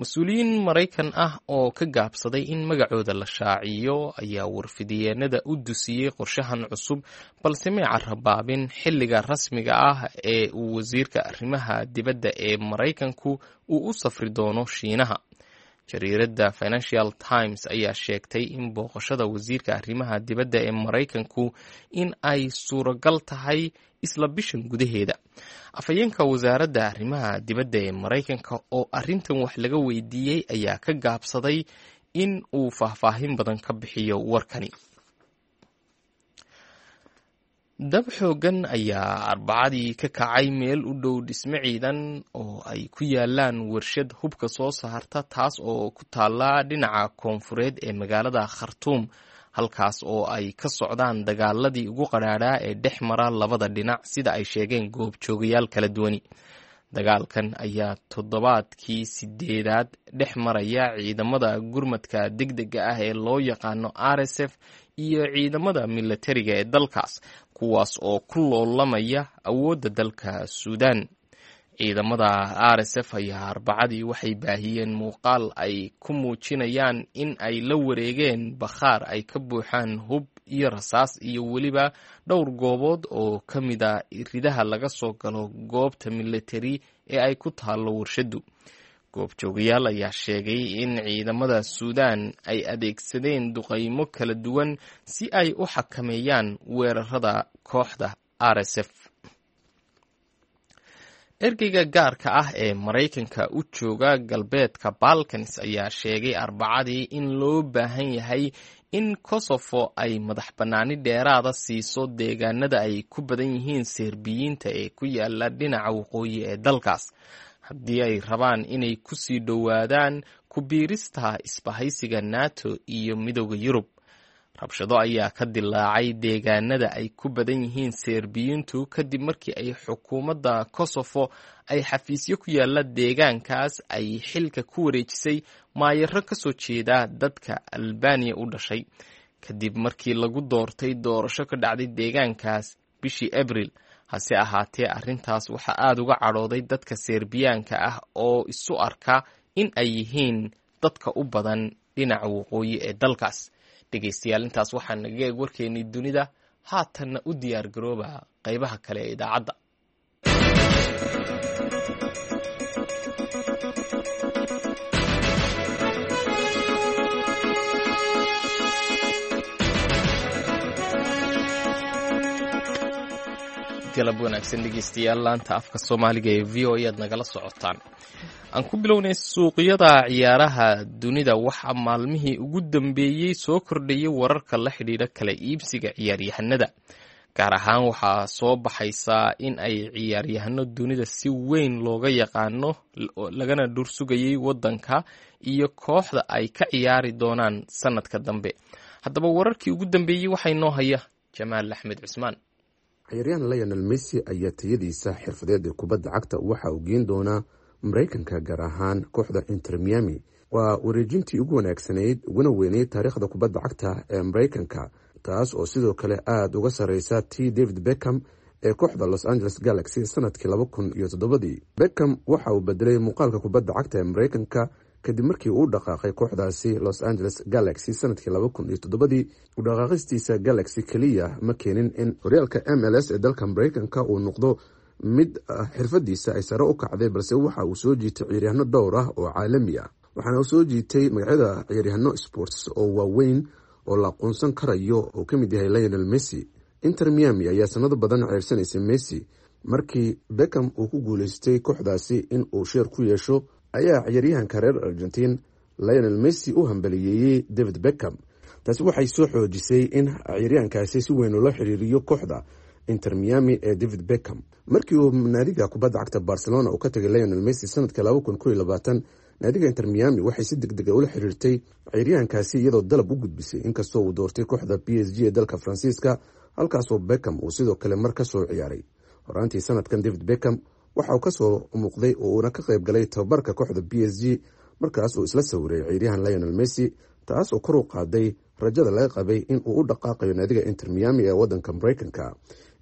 Mas-uuliyiin Maraykan ah oo ka gaabsaday in magacooda la shaaciyo ayaa warfidiyeenada u dusiyey qorshahan cusub, balse may carabaabin xilliga rasmiga ah ee uu wasiirka arrimaha dibadda ee Maraykanku uu u safri doono Shiinaha. Jariiradda Financial Times ayaa sheegtay in booqashada wasiirka arrimaha dibadda ee Maraykanku in ay suuragal tahay isla bishan gudaheeda. Afhayeenka wasaaradda arrimaha dibadda ee Maraykanka oo arrintan wax laga weydiiyey ayaa ka gaabsaday in uu faahfaahin badan ka bixiyo warkani. Dab xooggan ayaa Arbacadii ka kacay meel u dhow dhisme ciidan oo ay ku yaalaan warshad hubka soo saarta, taas oo ku taalla dhinaca koonfureed ee magaalada Khartuum, halkaas oo ay ka socdaan dagaaladii ugu qadhaadhaa ee dhex mara labada dhinac, sida ay sheegeen goobjoogayaal kala duwani. Dagaalkan ayaa toddobaadkii sideedaad dhex maraya ciidamada gurmadka degdega ah ee loo yaqaano RSF iyo ciidamada milatariga ee dalkaas, kuwaas oo ku loolamaya awoodda dalka Suudaan. Ciidamada RSF ayaa Arbacadii waxay baahiyeen muuqaal ay ku muujinayaan in ay la wareegeen bakhaar ay ka buuxaan hub iyo rasaas iyo weliba dhowr goobood oo ka mid a ridaha laga soo galo goobta milatari ee ay ku taallo warshaddu. Goobjoogayaal ayaa sheegay in ciidamada Suudaan ay adeegsadeen duqaymo kala duwan si ay u xakameeyaan weerarada kooxda RSF. Ergeyga gaarka ah ee Maraykanka u jooga galbeedka Balkans ayaa sheegay Arbacadii in loo baahan yahay in Kosofo ay madax bannaani dheeraada siiso deegaanada ay ku badan yihiin Serbiyiinta ee ku yaala dhinaca waqooyi ee dalkaas, haddii ay rabaan inay ku sii dhowaadaan ku biirista isbahaysiga NATO iyo Midowda Yurub. Rabshado ayaa ka dilaacay deegaanada ay ku badan yihiin Serbiyiintu kadib markii ay xukuumadda Kosofo ay xafiisyo ku yaala deegaankaas ay xilka ku wareejisay maayaro ka soo jeeda dadka Albaniya u dhashay, kadib markii lagu doortay doorasho ka dhacday deegaankaas bishii Abril. Hase ahaatee, arrintaas waxaa aada uga cadhooday dadka Serbiyaanka ah oo isu arka in ay yihiin dadka u badan dhinaca waqooyi ee dalkaas. Dhegeystayaal, intaas waxaa naga eeg warkeennii dunida. Haatanna u diyaar garooba qaybaha kale ee idaacadda. Galab wanaagsan dhegeystayaal, laanta afka soomaaliga ee v o ayaad nagala socotaan. Aan ku bilownay suuqyada ciyaaraha dunida. Waxaa maalmihii ugu dambeeyey soo kordhayay wararka la xidhiidha kala iibsiga ciyaaryahanada. Gaar ahaan waxaa soo baxaysaa in ay ciyaaryahano dunida si weyn looga yaqaano lagana dhursugayay wadanka iyo kooxda ay ka ciyaari doonaan sanadka dambe. Haddaba wararkii ugu dambeeyey waxaa inoo haya Jamaal Axmed Cusmaan. Ciyaaryahan Lionel Messi ayaa tayadiisa xirfadeed ee kubadda cagta waxa uu geen doonaa Mareykanka, gaar ahaan kooxda Inter Miami. Waa wareejintii ugu wanaagsanayd uguna weyneyd taariikhda kubadda cagta ee Mareykanka, taas oo sidoo kale aada uga sareysa t David Beckham ee kooxda Los Angeles Galaxy sanadkii 2007-dii. Beckham waxa uu bedelay muuqaalka kubadda cagta ee Mareykanka kadib markii uu dhaqaaqay kooxdaasi Los Angeles Galaxy sanadkii 2007-dii. Udhaqaaqistiisa Galaxy keliya ma keenin in horyaalka MLS ee dalka Mareykanka uu noqdo mid xirfadiisa ay sare u kacday, balse waxa uu soo jiitay ciyaaryahanno dhowr ah oo caalami ah, waxaana uu soo jiitay magacyada ciyaaryahanno sports oo waaweyn oo la aqoonsan karayo oo ka mid yahay Lionel Messi. Inter Miami ayaa sanado badan ceyrsanaysa Messi. Markii Beckham uu ku guuleystay kooxdaasi in uu sheer ku yeesho, ayaa ciyaaryahanka reer Argentiin Lionel Messi u hambaliyeeyey David Beckham. Taasi waxay soo xoojisay in ciyaaryahankaasi si weyn loola xiriiriyo kooxda Inter Miami ee David Beckham. Markii uu naadiga kubadda cagta Barcelona uu ka tagay Lionel Messi sanadka 2021, naadiga Inter Miami waxay si degdega ula xiriirtay ciyaaryahankaasi, iyadoo dalab u gudbisay, inkastoo uu doortay kooxda PSG ee dalka Faransiiska, halkaasoo Beckham uu sidoo kale mar ka soo ciyaaray. Horaantii sanadkan, David Beckham waxa uu kasoo muuqday oo uuna ka qayb galay tababarka kooxda PSG, markaas uu isla sawiray ciyaaryahan Lionel Messi, taas oo kor u qaaday rajada laga qabay in uu u dhaqaaqayo naadiga Inter Miami ee wadanka Mareykanka.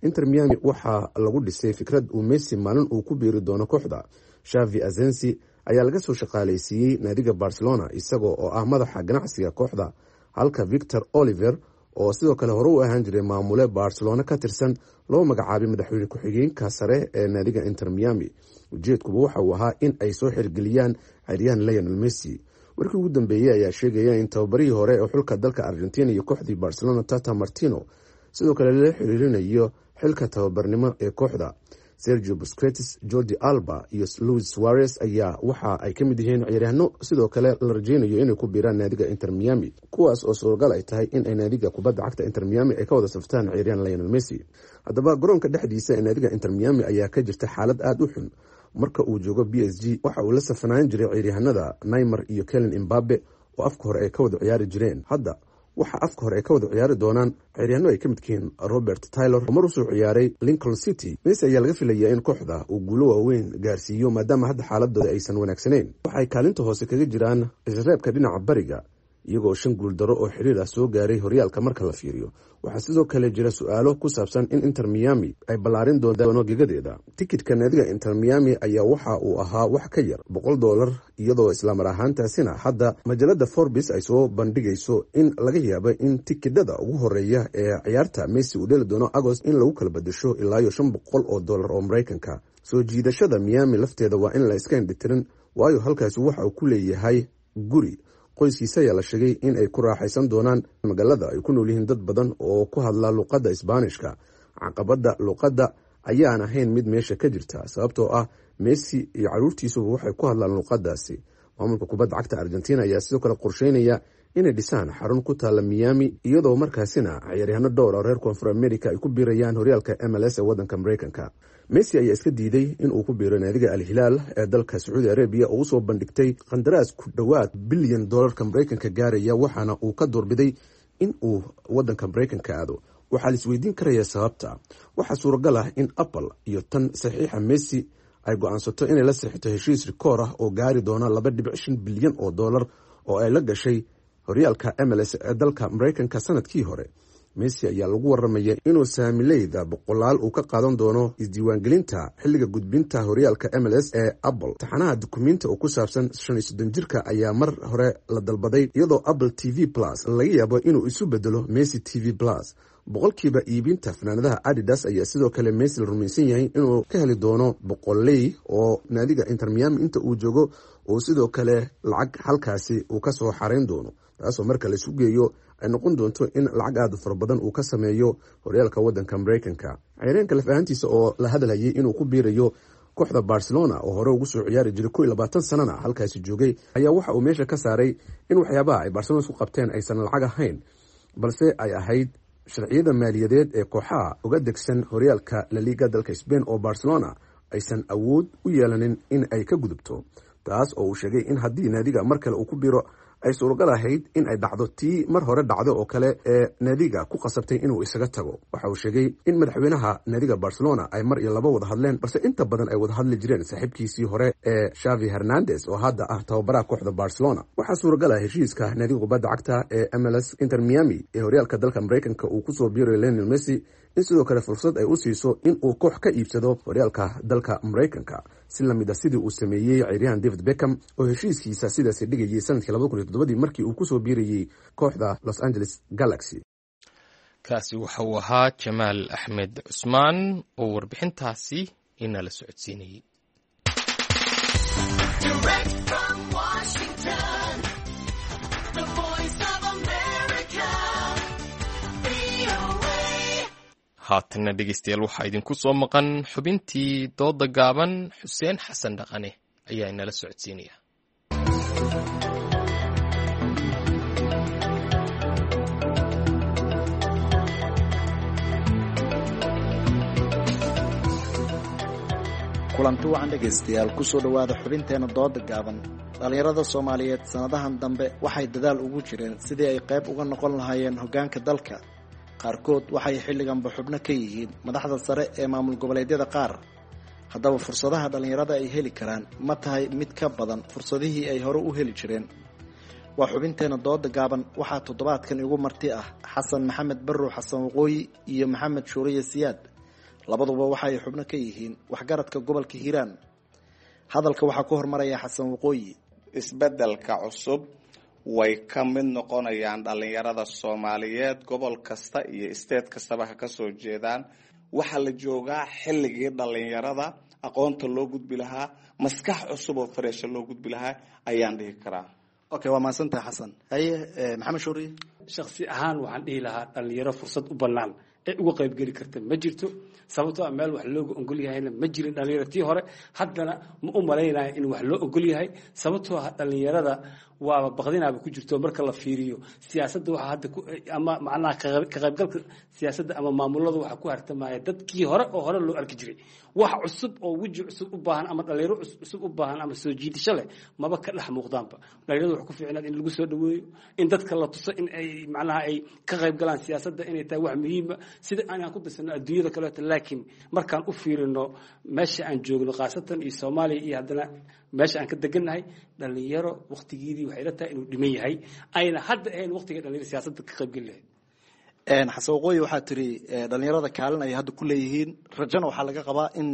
Inter Miami waxaa lagu dhisay fikrad uu Messi maalin uu ku biiri doono kooxda. Xavi Asensi ayaa laga soo shaqaaleysiiyey naadiga Barcelona, isagoo oo ah madaxa ganacsiga kooxda, halka Victor Oliver, oo sidoo kale hore u ahaan jiray maamule Barcelona ka tirsan, loo magacaabay madaxweyne ku-xigeenka sare ee naadiga Inter Miami. Ujeedkuba waxa uu ahaa in ay soo xirgeliyaan ciyaaryahan Lionel Messi. Warkii ugu dambeeyey ayaa sheegaya in tababarihii hore ee xulka dalka Argentina iyo kooxdii Barcelona, Tata Martino, sidoo kale lala xiriirinayo xilka tababarnimo ee kooxda. Sergio Busquets, Jordi Alba iyo Luis Suarez ayaa waxa ay ka mid yihiin ciyaaryahanno sidoo kale la rajeynayo inay ku biiraan naadiga Inter Miami, kuwaas oo suuragal ay tahay in ay naadiga kubadda cagta Inter Miami ay ka wada saftaan ciyaaryahan Lionel Messi. Haddaba, garoonka dhexdiisa ee naadiga Inter Miami ayaa ka jirta xaalad aada u xun. Marka uu joogo PSG, waxa uu la safanaan jiray ciyaaryahanada Neymar iyo Kylian Mbappe, oo afka hore ay ka wada ciyaari jireen. Hadda waxaa afka hore ay ka wada ciyaari doonaan ciyaaryahanno ay ka midkihiin Robert Taylor, oo mar usoo ciyaaray Lincoln City. Messi ayaa laga filayaa in kooxda uu guulo waaweyn gaarsiiyo, maadaama hadda xaaladooda aysan wanaagsanayn. Waxay kaalinta hoose kaga jiraan isreebka dhinaca bariga, iyagoo shan guuldaro oo xiriir ah soo gaaray horyaalka marka la fiiriyo. Waxaa sidoo kale jira su-aalo ku saabsan in Inter Miami ay ballaarin doono gegadeeda. Tikidka naadiga Inter Miami ayaa waxa uu ahaa wax ka yar $100, iyadoo islamar ahaantaasina hadda majalada Forbes ay soo bandhigayso in laga yaabo in tikidhada ugu horeeya ee ciyaarta Messi uu dheli doono Agost in lagu kala bedesho ilaa iyo $500 oo Maraykanka. Soo jiidashada Miami lafteeda waa in la iska indhitirin, waayo halkaasi waxa uu ku leeyahay guri. Qoyskiisa ayaa la sheegay in ay ku raaxaysan doonaan magaalada ay ku nool yihiin dad badan oo ku hadla luqadda Isbaanishka. Caqabadda luqadda ayaan ahayn mid meesha ka jirta, sababtoo ah Messi iyo caruurtiisuba waxay ku hadlaan luqadaasi. Maamulka kubadda cagta Argentina ayaa sidoo kale qorsheynaya inay dhisaan xarun ku taalla Miami, iyadoo markaasina ciyaaryahano dhowr oo reer Koonfur America ay ku biirayaan horyaalka MLS ee wadanka Mareykanka. Messi ayaa iska diiday inuu ku biiro naadiga Al Hilaal ee dalka Sacuudi Arabiya, oo usoo bandhigtay qandaraas ku dhowaad bilyan doolarka Mareykanka gaaraya, waxaana uu ka doorbiday in uu wadanka Mareykanka aado. Waxaa la isweydiin karaya sababta. Waxaa suuragal ah in Apple iyo tan saxiixa Messi ay go-aansato inay la saxiixto heshiis rikoor ah oo gaari doona 2.5 bilyan oo dollar oo ay la gashay horyaalka MLS ee dalka Mareykanka sanadkii hore. Messi ayaa lagu waramaya inuu saamileyda boqolaal uu ka qaadan doono isdiiwaangelinta xilliga gudbinta horyaalka MLS ee Apple. Taxanaha dukumiinta oo ku saabsan 35 jirka ayaa mar hore la dalbaday, iyadoo Apple TV Plus laga yaabo inuu isu bedelo Messi TV Plus. Boqolkiiba iibinta fanaanadaha Adidas ayaa sidoo kale Messi la rumaysan yahay inuu ka heli doono boqoley, oo naadiga Inter Miami inta uu joogo uu sidoo kale lacag halkaasi uu kasoo xareyn doono, taasoo marka la isu geeyo ay noqon doonto in lacag aada u fara badan uu ka sameeyo horyaalka wadanka Mareykanka. Ciyaaryahanka laf ahaantiisa oo la hadalhayay inuu ku biirayo kooxda Barcelona, oo hore ugu soo ciyaari jiray, 21 sanana halkaasi joogay, ayaa waxa uu meesha ka saaray in waxyaabaha ay Barcelona isku qabteen aysan lacag ahayn, balse ay ahayd sharciyada maaliyadeed ee kooxaha uga degsan horyaalka Laliga dalka Spain, oo Barcelona aysan awood u yeelanin in ay ka gudubto, taas oo uu sheegay in haddii naadiga mar kale uu ku biro ay suuragal ahayd in ay dhacdo tii mar hore dhacdo oo kale ee naadiga ku qasabtay inuu isaga tago. Waxa uu sheegay in madaxweynaha naadiga Barcelona ay mar iyo laba wada hadleen, balse inta badan ay wada hadli jireen saaxiibkiisii hore ee Xavi Hernandez, oo hadda ah tababaraha kooxda Barcelona. Waxaa suuragal ah heshiiska naadiga kubadda cagta ee MLS Inter Miami ee horyaalka dalka Mareykanka uu kusoo biirayo Lionel Messi in sidoo kale fursad ay u siiso in uu koox ka iibsado horyaalka dalka Mareykanka, si lamid a sidii uu sameeyey ciyaaryahan David Beckham, oo heshiiskiisa sidaasi dhigayay sanadkii 2007-dii markii uu kusoo biirayey kooxda Los Angeles Galaxy. Kaasi waxa uu ahaa Jamaal Axmed Cusmaan oo warbixintaasi inala socodsiinayey. Direct from Washington, the Voice of America. Haatanna dhegeystayaal, waxaa idinku soo maqan xubintii dooda gaaban. Xuseen Xasan Dhaqane ayaa inala socodsiinaya. Kulanti wacan dhegaystayaal, kusoo dhowaada xubinteena dooda gaaban. Dhallinyarada Soomaaliyeed sanadahan dambe waxay dadaal ugu jireen sidii ay qayb uga noqon lahaayeen hoggaanka dalka. Qaarkood waxay xilliganba xubno ka yihiin madaxda sare ee maamul goboleedyada qaar. Haddaba fursadaha dhallinyarada ay heli karaan ma tahay mid ka badan fursadihii ay hore u heli jireen? Waa xubinteena dooda gaaban. Waxaa toddobaadkan igu marti ah Xasan Maxamed Barrow, Xasan Waqooyi, iyo Maxamed Shuuriye Siyaad. Labaduba waxa ay xubno ka yihiin waxgaradka gobolka Hiiraan. Hadalka waxaa ku hormaraya Xasan Waqooyi. Isbeddelka cusub way ka mid noqonayaan dhallinyarada Soomaaliyeed, gobol kasta iyo state kastaba ha kasoo jeedaan. Waxaa la joogaa xilligii dhallinyarada aqoonta loo gudbi lahaa, maskax cusub oo fareesha loo gudbi lahaa ayaan dhihi karaa. Okay, waa mahadsantahay Xasan. Haye Maxamed Shuuriye. Shaksi ahaan waxaan dhihi lahaa dhallinyaro fursad u bannaan ee uga qaybgeli karta ma jirto, sababtoo ah meel wax looga ogol yahayna ma jirin dhallinyaro tii hore, haddana ma u malaynayo in wax loo ogol yahay, sababtoo ah dhallinyarada waaba baqdinaaba ku jirto. Marka la fiiriyo siyaasadda waxa hadda ama macnaha ka qaybgalka siyaasadda ama maamulada waxa ku hartamaya dadkii hore oo hore loo arki jiray. Wax cusub oo weji cusub u baahan ama dhallinyaro cusub u baahan ama soo jiidasho leh maba ka dhex muuqdaanba. Dhallinyarada wax ku fiicnaad in lagu soo dhaweeyo, in dadka la tuso in ay macnaha ay ka qayb galaan siyaasadda inay tahay wax muhiima, sida aan ku darsano adduunyada kaleeto. Laakiin markaan u fiirino meesha aan joogno khaasatan iyo Soomaaliya iyo haddana meesha aan ka degannahay, dhallinyaro waqtigeedii waxay la tahay inuu dhiman yahay, ayna hadda ahayn waqtiga dhallinyaro siyaasadda ka qaybgeli lahayd. Xasan Waqooyi, waxaa tiri dhallinyarada kaalin ay hadda ku leeyihiin, rajana waxaa laga qabaa in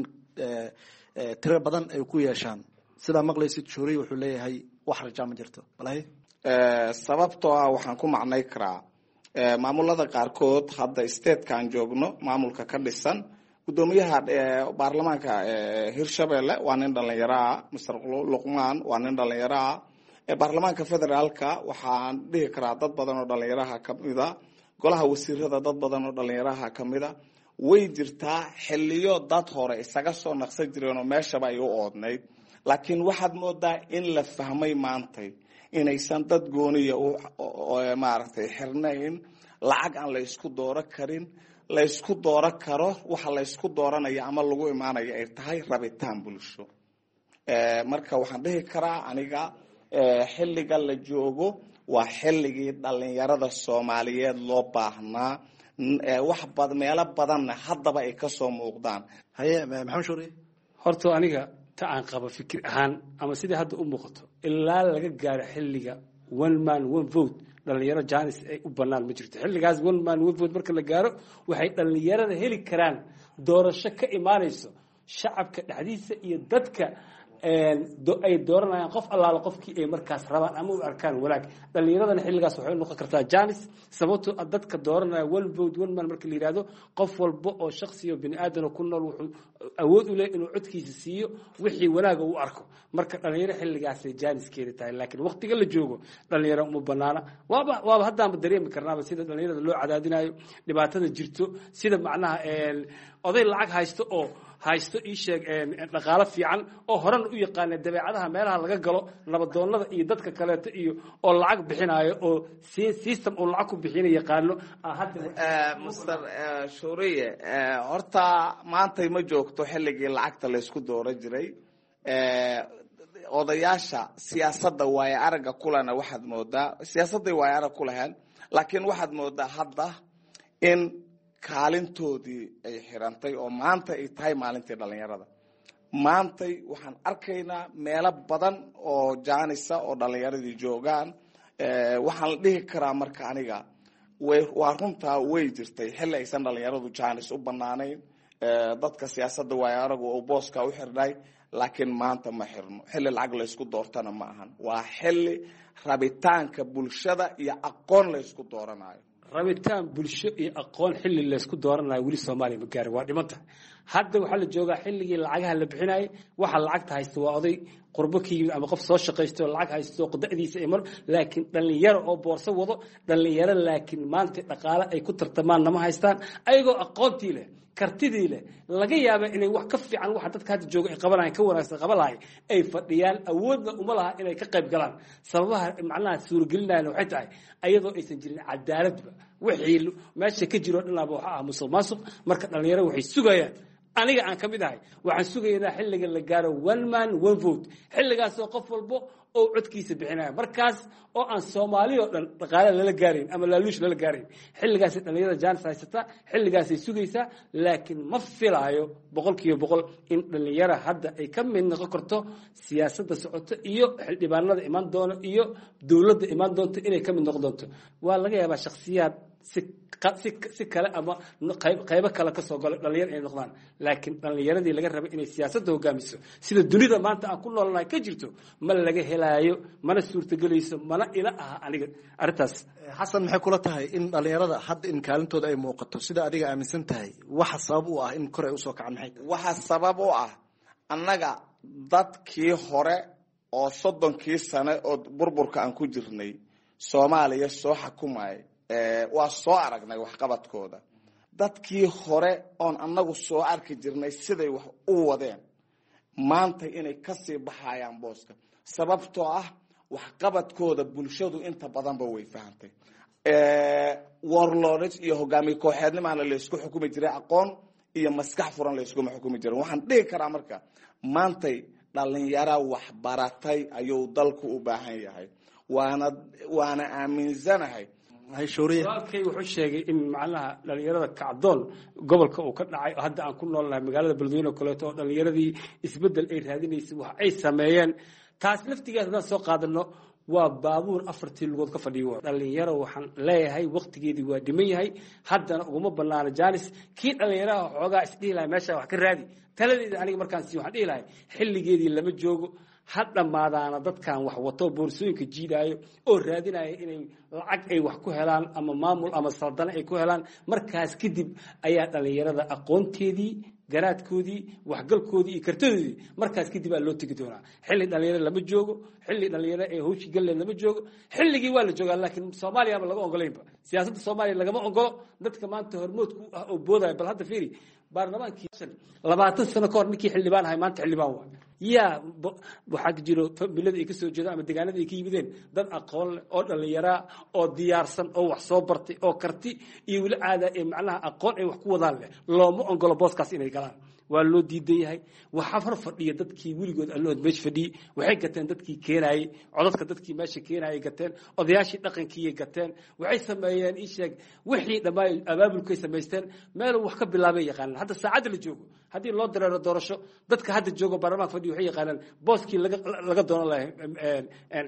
tiro badan ay ku yeeshaan. Sidaa maqlaysid, Shuuriye wuxuu leeyahay wax rajaa ma jirto. Walahi sababtoo ah waxaan ku macnay karaa maamulada qaarkood hadda statekaan joogno maamulka ka dhisan, guddoomiyaha baarlamaanka Hirshabelle waa nin dhallinyaro ah, Mister Luqmaan waa nin dhallinyaro ah. Baarlamaanka federaalka waxaan dhihi karaa dad badan oo dhallinyaraha kamida, golaha wasiirada dad badan oo dhallinyaraha kamida. Way jirtaa xiliyo dad hore isaga soo naqsan jireen oo meeshaba ay u oodnayd, laakiin waxaad moodaa in la fahmay maantay inaysan dad gooniya maaragtay xirnayn, lacag aan la isku dooro karin, la isku dooro karo waxa la isku dooranaya ama lagu imaanaya ay tahay rabitaan bulsho. Marka waxaan dhihi karaa aniga xilliga la joogo waa xilligii dhallinyarada Soomaaliyeed loo baahnaa, wax bad meelo badanna haddaba ay kasoo muuqdaan. Haye Maxamed Shuuriye. Horta aniga ta aan qabo fikir ahaan ama sidai hadda u muuqato, ilaa laga gaaro xilliga one man one vote dhalinyaro janis ay u bannaan ma jirto. Xilligaas one man one vote marka la gaaro, waxay dhalinyarada heli karaan doorasho ka imaanayso shacabka dhexdiisa iyo dadka ay dooranayaan qof allaala qofkii ay markaas rabaan ama u arkaan wanaag. Dhalinyaradana xilligaas waxay u noqon kartaa janis, sababtoo ah dadka dooranaya one vote one man marka la yidhaahdo, qof walba oo shaksiyo bini aadana ku nool wuxuu awood u leeyahy inuu codkiisa siiyo wixii wanaaga uu arko. Marka dhalinyaro xilligaasay jaaniskeeda tahay, laakiin waqtiga la joogo dhalinyaro uma banaana. Waaba haddaanba dareemi karnaaba sida dhalinyarada loo cadaadinayo, dhibaatada jirto, sida macnaha oday lacag haysto oo haysto ii sheeg dhaqaalo fiican oo horena u yaqaana dabeecadaha meelaha laga galo nabadoonnada iyo dadka kaleeto iyo oo lacag bixinayo oo system uu lacag ku bixina yaqaano. Mister Shuuriye, horta maantay ma joogto xilligii lacagta laysku dooro jiray. Odayaasha siyaasadda waaye aragga kulana waxaad moodaa siyaasadday waaye arag ku lahayn, laakiin waxaad moodaa hadda in kaalintoodii ay xirantay oo maanta ay tahay maalintii dhalinyarada. Maantay waxaan arkaynaa meelo badan oo jaanisa oo dhalinyaradii joogaan. Waxaan la dhihi karaa marka aniga waa runtaa, way jirtay xilli aysan dhalinyaradu jaanis u banaanayn, dadka siyaasadda waayo aragu oo booska u xirnay, laakiin maanta ma xirno. Xilli lacag laysku doortana ma ahan, waa xilli rabitaanka bulshada iyo aqoon laysku dooranayo. Rabitaan bulsho iyo aqoon xilli laysku dooranayo weli Soomaaliya ma gaarin, waa dhimanta. Hadda waxaa la joogaa xilligii lacagaha la bixinayay. Waxa lacagta haysta waa oday Qurbo ka yimid ama qof soo shaqaysto oo lacag haysto da'diisa ay mar, laakiin dhalinyaro oo boorso wado dhalinyaro, laakiin maanta dhaqaale ay ku tartamaan nama haystaan, ayagoo aqoontii leh, kartidii leh, laga yaaba inay wax ka fiican waxa dadka hadda jooga ay qabanayan ka wanaagsan qaban lahay ay fadhiyaan, awoodna uma laha inay ka qayb galaan. Sababaha macnaha suuragelinayana waxay tahay ayadoo aysan jirin cadaaladba, wixii meesha ka jiro dhanaaba waxa ah musuq maasuq. Marka dhalinyaro waxay sugayaan, aniga aan ka mid ahay, waxaan sugaynaa xilliga la gaaro one man one vote, xilligaasoo qof walbo oo codkiisa bixinaya, markaas oo aan Soomaali oo dhan dhaqaale lala gaarayn ama laaluush lala gaarayn. Xilligaasay dhalinyarada jaanis haysata, xilligaasay sugaysaa. Laakiin ma filaayo 100% in dhalinyara hadda ay ka mid noqon karto siyaasadda socoto iyo xildhibaanada imaan doona iyo dowladda imaan doonto inay ka mid noqon doonto. Waa laga yaabaa shakhsiyaad si kale ama qaybo kale kasoo galo dhalinyar inay noqdaan, laakiin dhalinyaradii laga rabay inay siyaasadda hogaamiso sida dunida maanta aan ku noolnahay ka jirto ma laga helaayo, mana suurtagelayso, mana ila aha aniga arrintaas. Xasan, maxay kula tahay in dhalinyarada hadda in kaalintooda ay muuqato sida adiga aaminsan tahay? Waxa sabab u ah in kor ay usoo kacaan maxay tahay? Waxa sabab u ah, annaga dadkii hore oo 30kii sane oo burburka aan ku jirnay Soomaaliya soo xakumay, waa soo aragnay waxqabadkooda. Dadkii hore oon annagu soo arki jirnay siday wax u wadeen, maanta inay kasii baxayaan booska, sababtoo ah waxqabadkooda bulshadu inta badanba way fahantay. Warlords iyo hogaamiye kooxeednimaana laysku xukumi jiray, aqoon iyo maskax furan layskuma xukumi jirin. Waxaan dhihi karaa marka maantay dhalinyaro waxbaratay ayuu dalku u baahan yahay, waana aaminsanahay. Walaalkay wuxuu sheegay in macnaha dhalinyarada kacdoon gobolka uu ka dhacay oo hadda aan ku noolnahay magaalada Beledweyne oo kaleeto, oo dhalinyaradii isbeddel ay raadinaysay wax ay sameeyeen. Taas laftigeed haddaan soo qaadano, waa baabuur afartii lugood ka fadhiyo. Dhalinyaro waxaan leeyahay waqtigeedii waa dhiman yahay, haddana uguma banaano jaanis. Kii dhalinyaraha xoogaa isdhihi lahay meesha wax ka raadi, taladeeda aniga markaan siiyo waxaan dhihi lahay xilligeedii lama joogo, ha dhammaadaana dadkan wax wato, boorsooyinka jiidaayo oo raadinaya inay lacag ay wax ku helaan ama maamul ama saldano ay ku helaan. Markaas kadib ayaa dhalinyarada aqoonteedii, garaadkoodii, waxgalkoodii iyo kartadoodii markaas kadib aa loo tegi doonaa. Xilli dhalinyaro lama joogo, xilli dhalinyaro ee hawshi galleed lama joogo. Xilligii waa la joogaa, laakiin Soomaaliyaba laga ogolaynba, siyaasadda Soomaaliya lagama ogolo dadka maanta hormoodku ah oo boodaya. Bal hadda fiiri baarlamaankii 20 sano ka hor ninkii xildhibaan ahay maanta xildhibaan waa yaa. Waxaa jiro familada ay kasoo jeedaan ama deegaanada ay ka yimideen dad aqoon leh oo dhalinyaraa oo diyaarsan oo wax soo bartay oo karti iyo weli caada ee macnaha aqoon ay wax ku wadaan leh, looma ogolo booskaas inay galaan, waa loo diidan yahay. Waxaa hor fadhiya dadkii weligood allood meesha fadhiyey. Waxay gateen dadkii keenayey codadka, dadkii meesha keenayay gateen, odayaashii dhaqankiiyay gateen. Waxay sameeyeen ii sheeg wixii dhammaay abaabulkay samaysteen, meel wax ka bilaabay yaqaanaan. Hadda saacadda la joogo haddii loo dareero doorasho, dadka hadda joogo baarlamaanka fadhiya waxay yaqaanaan booskii laga doonan lahay,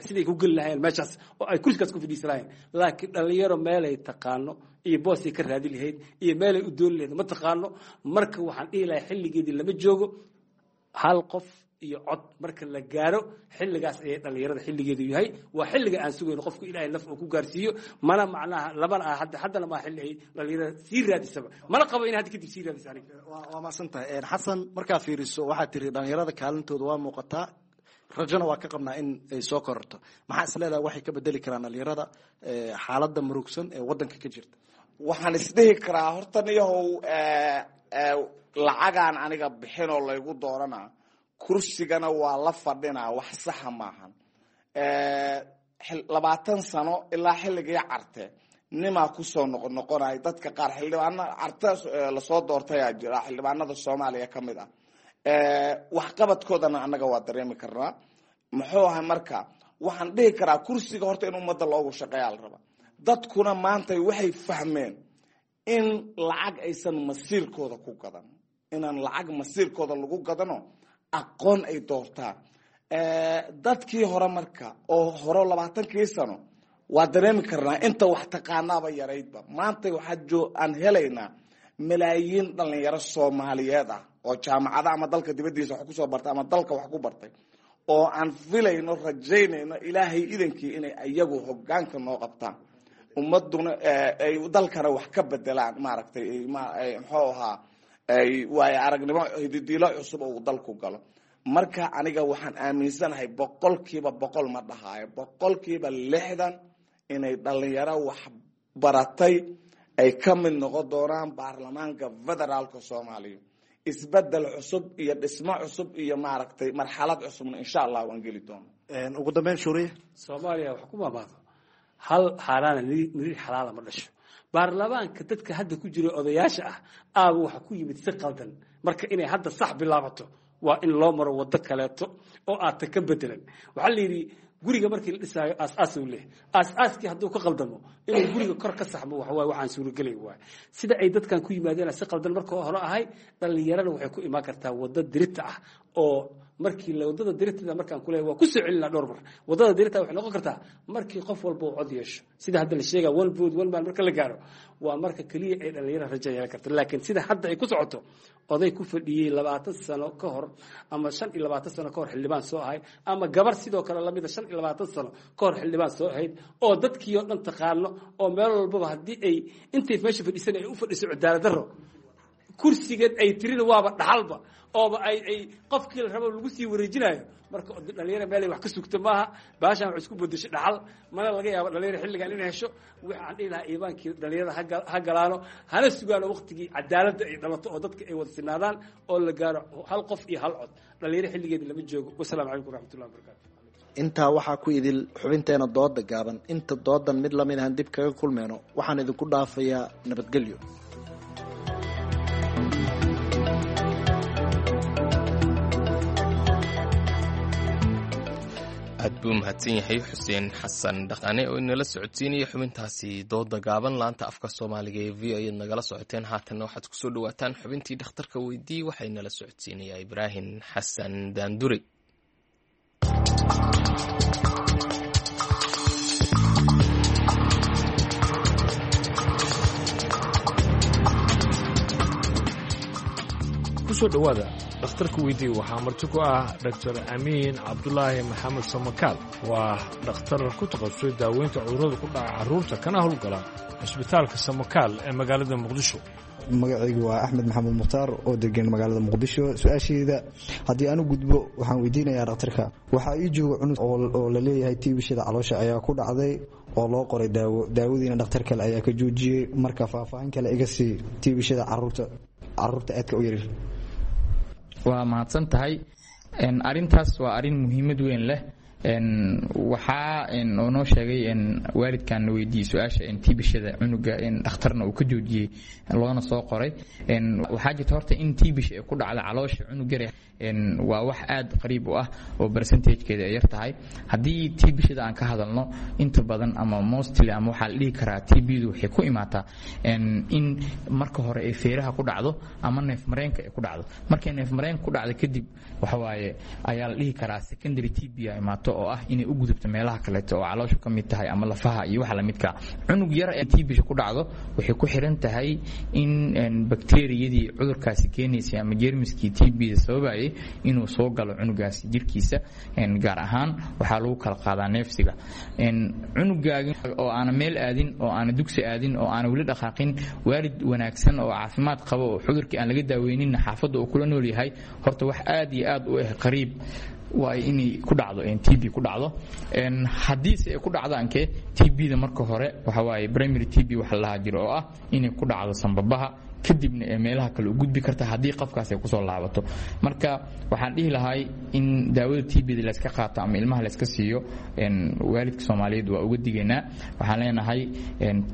siday ku geli lahayeen meeshaas oo ay kursigaas ku fadhiisan lahayeen. Laakiin dhalinyaro meelay taqaano iyo boosay ka raadi lahayd iyo meelay u dooni lahayd ma taqaano. Marka waxaan dhihi lahay xilligeedii lama joogo. Hal qof iyo cod marka la gaaro, xilligaas ayay dhalinyarada xilligeedu yahay. Waa xilliga aan sugayno qofku Ilaahay naf uu ku gaarsiiyo. Mana macnaha labana ah hadda, haddana maa xilli ay dhalinyarada sii raadisaba, mana qabo in hadda kadib sii raadisa aniga. Waa mahadsan tahay Xasan. Markaa fiiriso, waxaad tiri dhalinyarada kaalintooda waa muuqataa, rajona waa ka qabnaa in ay soo kororto. Maxaa is leedahay waxay ka bedeli karaan dhalinyarada xaaladda murugsan ee waddanka ka jirta? Waxaan isdhihi karaa horta niyahow, lacagaan aniga bixinoo laygu dooranaa, kursigana waa la fadhinaa, wax saxa maahan. 20 sano ilaa xilligii Carte nimaa kusoo noqonoqonay. Dadka qaar xildhibaana Carte lasoo doortayaa jira, xildhibaanada Soomaaliya ka mid ah, waxqabadkoodana annaga waa dareemi karnaa muxuu ahay. Marka waxaan dhihi karaa kursiga horta in ummadda loogu shaqeeyaa la rabaa. Dadkuna maanta waxay fahmeen in lacag aysan masiirkooda ku gadan, inaan lacag masiirkooda lagu gadano, aqoon ay doortaan. Dadkii hore marka oo hore 20kii sano waa dareemi karnaa inta wax taqaanaaba yaraydba. Maanta waxaa aan helaynaa malaayiin dhalinyaro Soomaaliyeed ah oo jaamacada ama dalka dibadiisa wax kusoo bartay ama dalka wax ku bartay, oo aan filayno, rajaynayno Ilaahay idankii inay iyagu hogaanka noo qabtaan, ummaduna ay dalkana wax ka bedelaan, maaragtay, muxuu ahaa, waayo aragnimo hididiilo cusub oo uu dalku galo. Marka aniga waxaan aaminsanahay 100% ma dhahaayo, 60% inay dhalinyaro wax baratay ay ka mid noqon doonaan baarlamaanka federaalka Soomaaliya. Isbedel cusub iyo dhismo cusub iyo maaragtay marxalad cusubna insha Allah waan geli doona. Ugu dambeyn, Shuuriye. Soomaaliya wax ku maamaado hal xaaraana niriir xalaala ma dhasho. Baarlamaanka dadka hadda ku jira odayaasha ah aaba waxa ku yimid si qaldan. Marka inay hadda sax bilaabato waa in loo maro waddo kaleeto oo aata ka bedelan. Waxaa la yidhi guriga markii la dhisaayo aas-aas uu leeyahay, aas-aaskii hadduu ka qaldamo inuu guriga kor ka saxmo waxawaaye waxaan suuragelay waay. Sida ay dadkan ku yimaadeen si qaldan marka hore ahay, dhallinyarana waxay ku imaan kartaa waddo dirita ah oo markii la wadada diritada markaan kuleeyahay waa ku soo celinaa dhowr mar. Wadada dirita waxay noqon kartaa markii qof walba uu cod yeesho, sida hadda la sheegaa one vote one man marka la gaaro, waa marka keliya ay dhalinyarada rajo yeelan karto. Laakiin sida hadda ay ku socoto, oday ku fadhiyey 20 sano ka hor ama 25 sano ka hor xildhibaan soo ahay, ama gabar sidoo kale lamida 25 sano ka hor xildhibaan soo ahayd, oo dadkii oo dhan taqaano, oo meel walbaba haddii ay intay meesha fadhiisan ay u fadhiso cadaalad darro, kursigeed ay tirina waaba dhaxalba ooba ay qofkii la rabo lagu sii wareejinayo. Marka dhalinyaro meelay wax ka sugto maaha, baashaan wax isku bedesho dhaxal mana laga yaabo dhalinyaro xilligan inay hesho. Waxaan dhihi lahaa iibaankii dhalinyarada ha galaano, hana sugaano waqtigii cadaaladda ay dhalato oo dadka ay wada sinaadaan oo la gaaro hal qof iyo hal cod. Dhalinyaro xilligeeda lama joogo. Wasalaamu calaykum waraxmatullahi wabarakaatu. Intaa waxaa ku idil xubinteena dooda gaaban. Inta doodan mid lamid ahan dib kaga kulmeyno, waxaan idinku dhaafayaa nabadgelyo. Aad buu mahadsan yahay Xuseen Xasan Dhaqane oo inala socodsiinaya xubintaasi dooda gaaban. Laanta afka Soomaaliga ee v o ayaad nagala socoteen. Haatanna waxaad kusoo dhawaataan xubintii dhakhtarka weydii, waxaa inala socodsiinayaa Ibraahim Xasan Daandure. Kusoo dhowaada dhakhtarka weydii. Waxaa marti ku ah Doctor Amiin Cabdulaahi Maxamed Samakaal. Waa dhakhtar ku takhasusay daaweynta cudurrada ku dhaca carruurta, kana howlgala cisbitaalka Samakaal ee magaalada Muqdisho. Magacaygu waa Axmed Maxamed Mukhtaar oo degan magaalada Muqdisho. Su-aasheeda haddii aan u gudbo, waxaan weydiinayaa dhakhtarka: waxaa ii jooga cunug oo la leeyahay tiibishada caloosha ayaa ku dhacday oo loo qoray daawo, daawadiina dhakhtar kale ayaa ka joojiyey. Marka faahfaahin kale iga sii tiibishada caruurta, caruurta aadka u yaryar. Waa mahadsan tahay. Arintaas waa arrin muhiimad weyn leh. Waxaa oo noo sheegay waalidkan na weydiiyey su-aasha tiibishada cunuga, dhakhtarna uu ka joojiyey loona soo qoray. Waxaa jirta horta in tiibisha ay ku dhacda caloosha cunug yar waa wax aad qariib u ah oo percentagekeeda ay yar tahay. Haddii tiibishada aan ka hadalno, inta badan ama mostly ama waxaa la dhihi karaa TB-du waxay ku imaataa in marka hore ay feeraha ku dhacdo ama neef mareenka ay ku dhacdo. Markay neef mareenka ku dhacdo kadib, waxa waaye ayaa la dhihi karaa secondary TB a imaato, oo ah inay u gudubto meelaha kaleeto oo calooshu ka mid tahay ama lafaha iyo waxa lamidka. Cunug yar ee TB-sha ku dhacdo waxay ku xiran tahay in bakteeriyadii cudurkaasi keenaysay ama jeermiskii TB-da sababayay inuu soo galo cunugaasi jirkiisa. Gaar ahaan waxaa lagu kala qaadaa neefsiga. Cunugaaga oo aana meel aadin oo aana dugsi aadin oo aana weli dhaqaaqin, waalid wanaagsan oo caafimaad qabo oo cudurkii aan laga daaweyninna xaafadda uu kula nool yahay, horta wax aad iyo aad u ah qariib waa inay ku dhacdo TB ku dhacdo. Haddiise ay ku dhacdo ankee TB-da, marka hore waxa waaye primary TB waxa la dhahaa jiro oo ah inay ku dhacdo sanbabaha, kadibna ee meelaha kale u gudbi karta haddii qofkaas ay kusoo laabato. Marka waxaan dhihi lahay in daawada TB-da layska qaato ama ilmaha layska siiyo, waalidka Soomaaliyeed waa uga digaynaa. Waxaan leenahay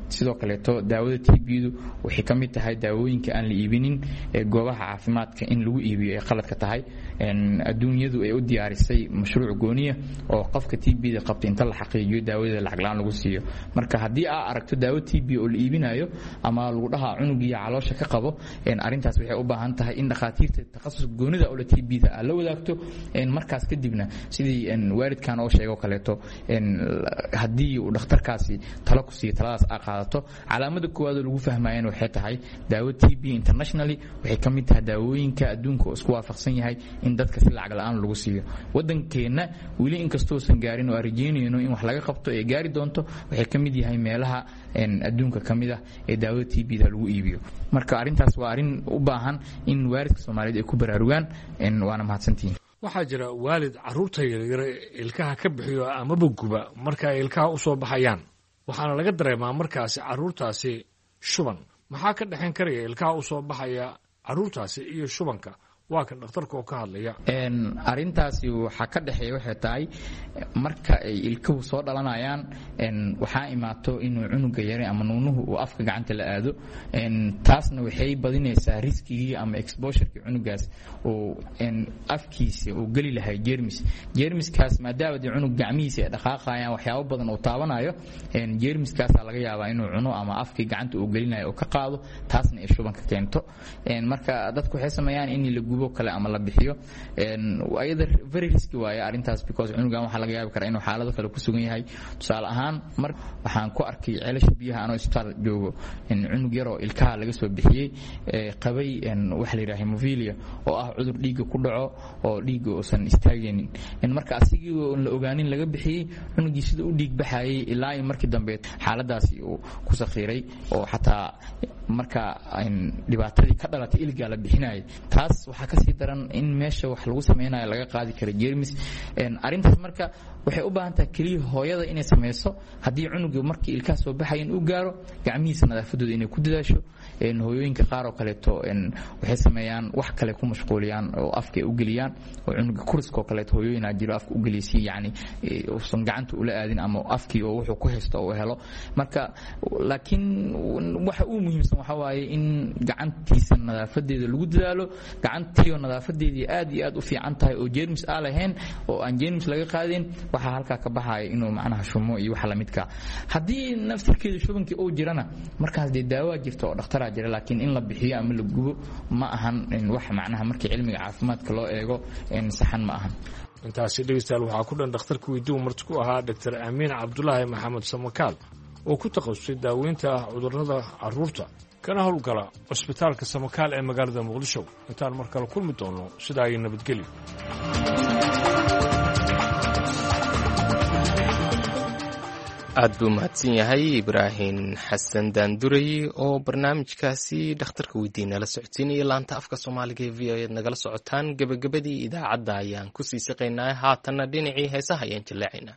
sidoo kaleeto daawada TB-du waxay ka mid tahay daawooyinka aan la iibinin ee goobaha caafimaadka in lagu iibiyo ay qaladka tahay. Adduunyadu ay u diyaarisay mashruuc gooniya oo qofka TB-da qabta inta la xaqiijiyo daawada lacag la-aan lagu siiyo. Marka haddii aa aragto daawo TB oo la iibinayo ama lagu dhahaa cunugiyo caloosha ka qabo, arrintaas waxay u baahan tahay in dhakhaatiirta takhasuska goonida oo la TB-da aad la wadaagto. Markaas kadibna sidii waalidkan oo sheego kaleeto, haddii uu dhakhtarkaasi talo ku siiyo, taladaas aa qaadato. Calaamada koowaad oo lagu fahmayana waxay tahay daawo TB internationally waxay ka mid tahay daawooyinka adduunka oo isku waafaqsan yahay in dadka si lacag la-aan lagu siiyo. Waddankeenna weli inkastoosan gaarin oo aan rajeynayno in wax laga qabto ee gaari doonto, waxay ka mid yahay meelaha adduunka ka mid ah ee daawada TB-da lagu iibiyo. Marka arrintaas waa arrin u baahan in waalidka Soomaaliyeed ay ku baraarugaan. Waana mahadsantihiin. Waxaa jira waalid carruurta yaryar ilkaha ka bixiyo amaba guba marka ay ilkaha u soo baxayaan, waxaana laga dareemaa markaasi carruurtaasi shuban. Maxaa ka dhexayn karaya ilkaha u soo baxaya carruurtaasi iyo shubanka? Waa kan dhakhtarka oo ka hadlaya. Arrintaasi waxaa ka dhexeeya waxay tahay marka ay ilkuhu soo dhalanayaan, waxaa imaato inuu cunuga yare ama nuunuhu uu afka gacanta la aado. Taasna waxay badinaysaa riskigii ama exposurekii cunugaas uu afkiisa uu geli lahay jermis. Jermiskaas maadaama dee cunug gacmihiisa ay dhaqaaqayaan, waxyaabo badan uu taabanayo, jermiskaasaa laga yaabaa inuu cuno ama afkii gacanta uu gelinayo uu ka qaado, taasna ay shubanka keento. Marka dadku waxay sameeyaan in la gubo kale ama la bixiyo. Ayada very risky waaye arrintaas, because cunugan waxaa laga yaabi karaa inuu xaalado kale ku sugan yahay. Tusaale ahaan, mar waxaan ku arkay ceelasha biyaha anoo isbitaal joogo cunug yaroo ilkaha laga soo bixiyey qabay waxa la yidhaha hemophilia, oo ah cudur dhiigga ku dhaco oo dhiigga uusan istaagaynin. Marka asigii oon la ogaanin laga bixiyey cunugii sida u dhiig baxayay ilaa iyo markii dambe xaaladaasi uu ku sakhiiray, oo xataa marka dhibaatadii ka dhalatay iligaa la bixinayay. Taas waxaa kasii daran in meesha wax lagu sameynayo laga qaadi kara jermis. Arrintaas marka waxay u baahan tahay keliya hooyada inay sameyso, haddii cunuga markii ilkaha soo baxayan uu gaaro, gacmihiisa nadaafadooda inay ku dadaasho. Hooyooyinka qaar oo kaleeto waxay sameeyaan wax kale ku mashquuliyaan oo afka ay u geliyaan, oo cunuga kuriska oo kaleeto hooyooyinaa jiro afka u geliya si yacni uusan gacanta ula aadin ama afkii oo wuxuu ku haysto uu helo. Marka laakiin waxa uu muhiimsan waxa waaye in gacantiisa nadaafadeeda lagu dadaalo. Gacantiioo nadaafadeedii aad iyo aad u fiican tahay oo jeermis aa lahayn oo aan jeermis laga qaadin, waxaa halkaa ka baxaya inuu macnaha shumo iyo waxa lamidka. Haddii naftirkeeda shubankii uu jirana, markaas dee daawaa jirta oo dhakhtaraa jira, laakiin in la bixiyo ama la gubo ma ahan wax macnaha markii cilmiga caafimaadka loo eego saxan ma ahan. Intaasi dhegeystayaal waxaa ku dhan dhakhtarka weydiiu marti ku ahaa Doctor Amiin Cabdulaahi Maxamed Samakaal, oo ku takhasusay daaweynta cudurrada carruurta kana howlgala cusbitaalka Samakaal ee magaalada Muqdisho. Intaan mar kale kulmi doonno, sidaa iyo nabadgelyo. Aad buu mahadsan yahay Ibraahim Xasan Daanduray oo barnaamijkaasi dhakhtarka weydiin nala socodsiinaya. Laanta afka Soomaaliga ee V O ead nagala socotaan. Gebagabadii idaacadda ayaan kusii siqaynaa, haatanna dhinacii heesaha ayaan jilleecaynaa.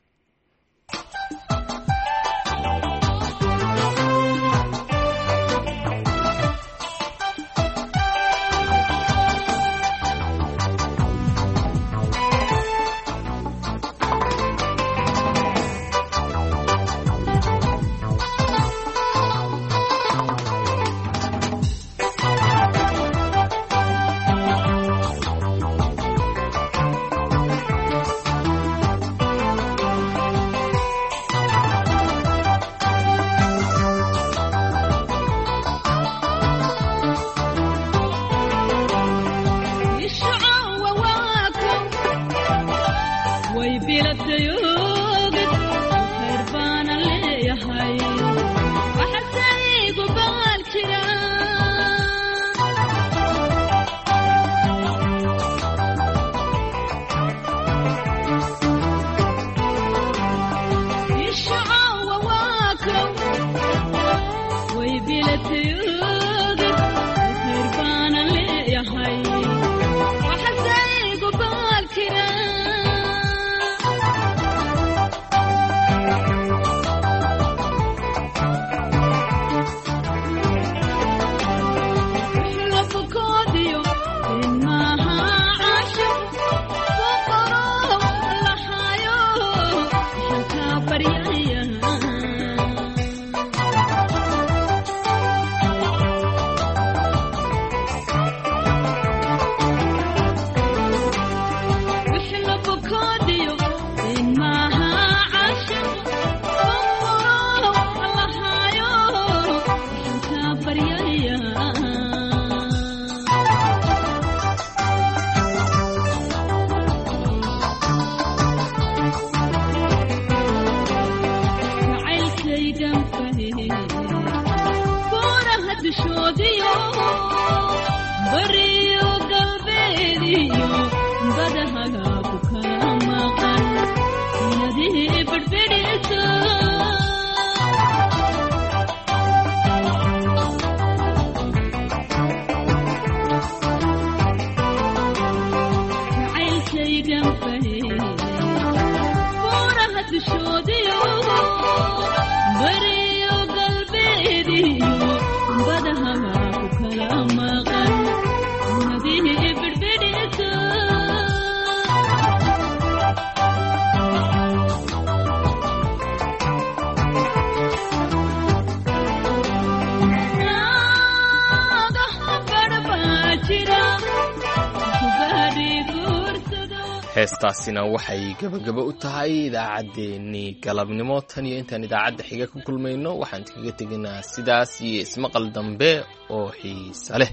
Dushoodiyo bariyo galbeediyo badaha ku kala maqan nadihi birbidhisa. Heestaasina waxay gebagabo u tahay idaacaddeenii galabnimo. Tan iyo intaan idaacadda xiga ku kulmayno, waxaan kaga tegaynaa sidaas iyo ismaqal dambe oo xiise leh.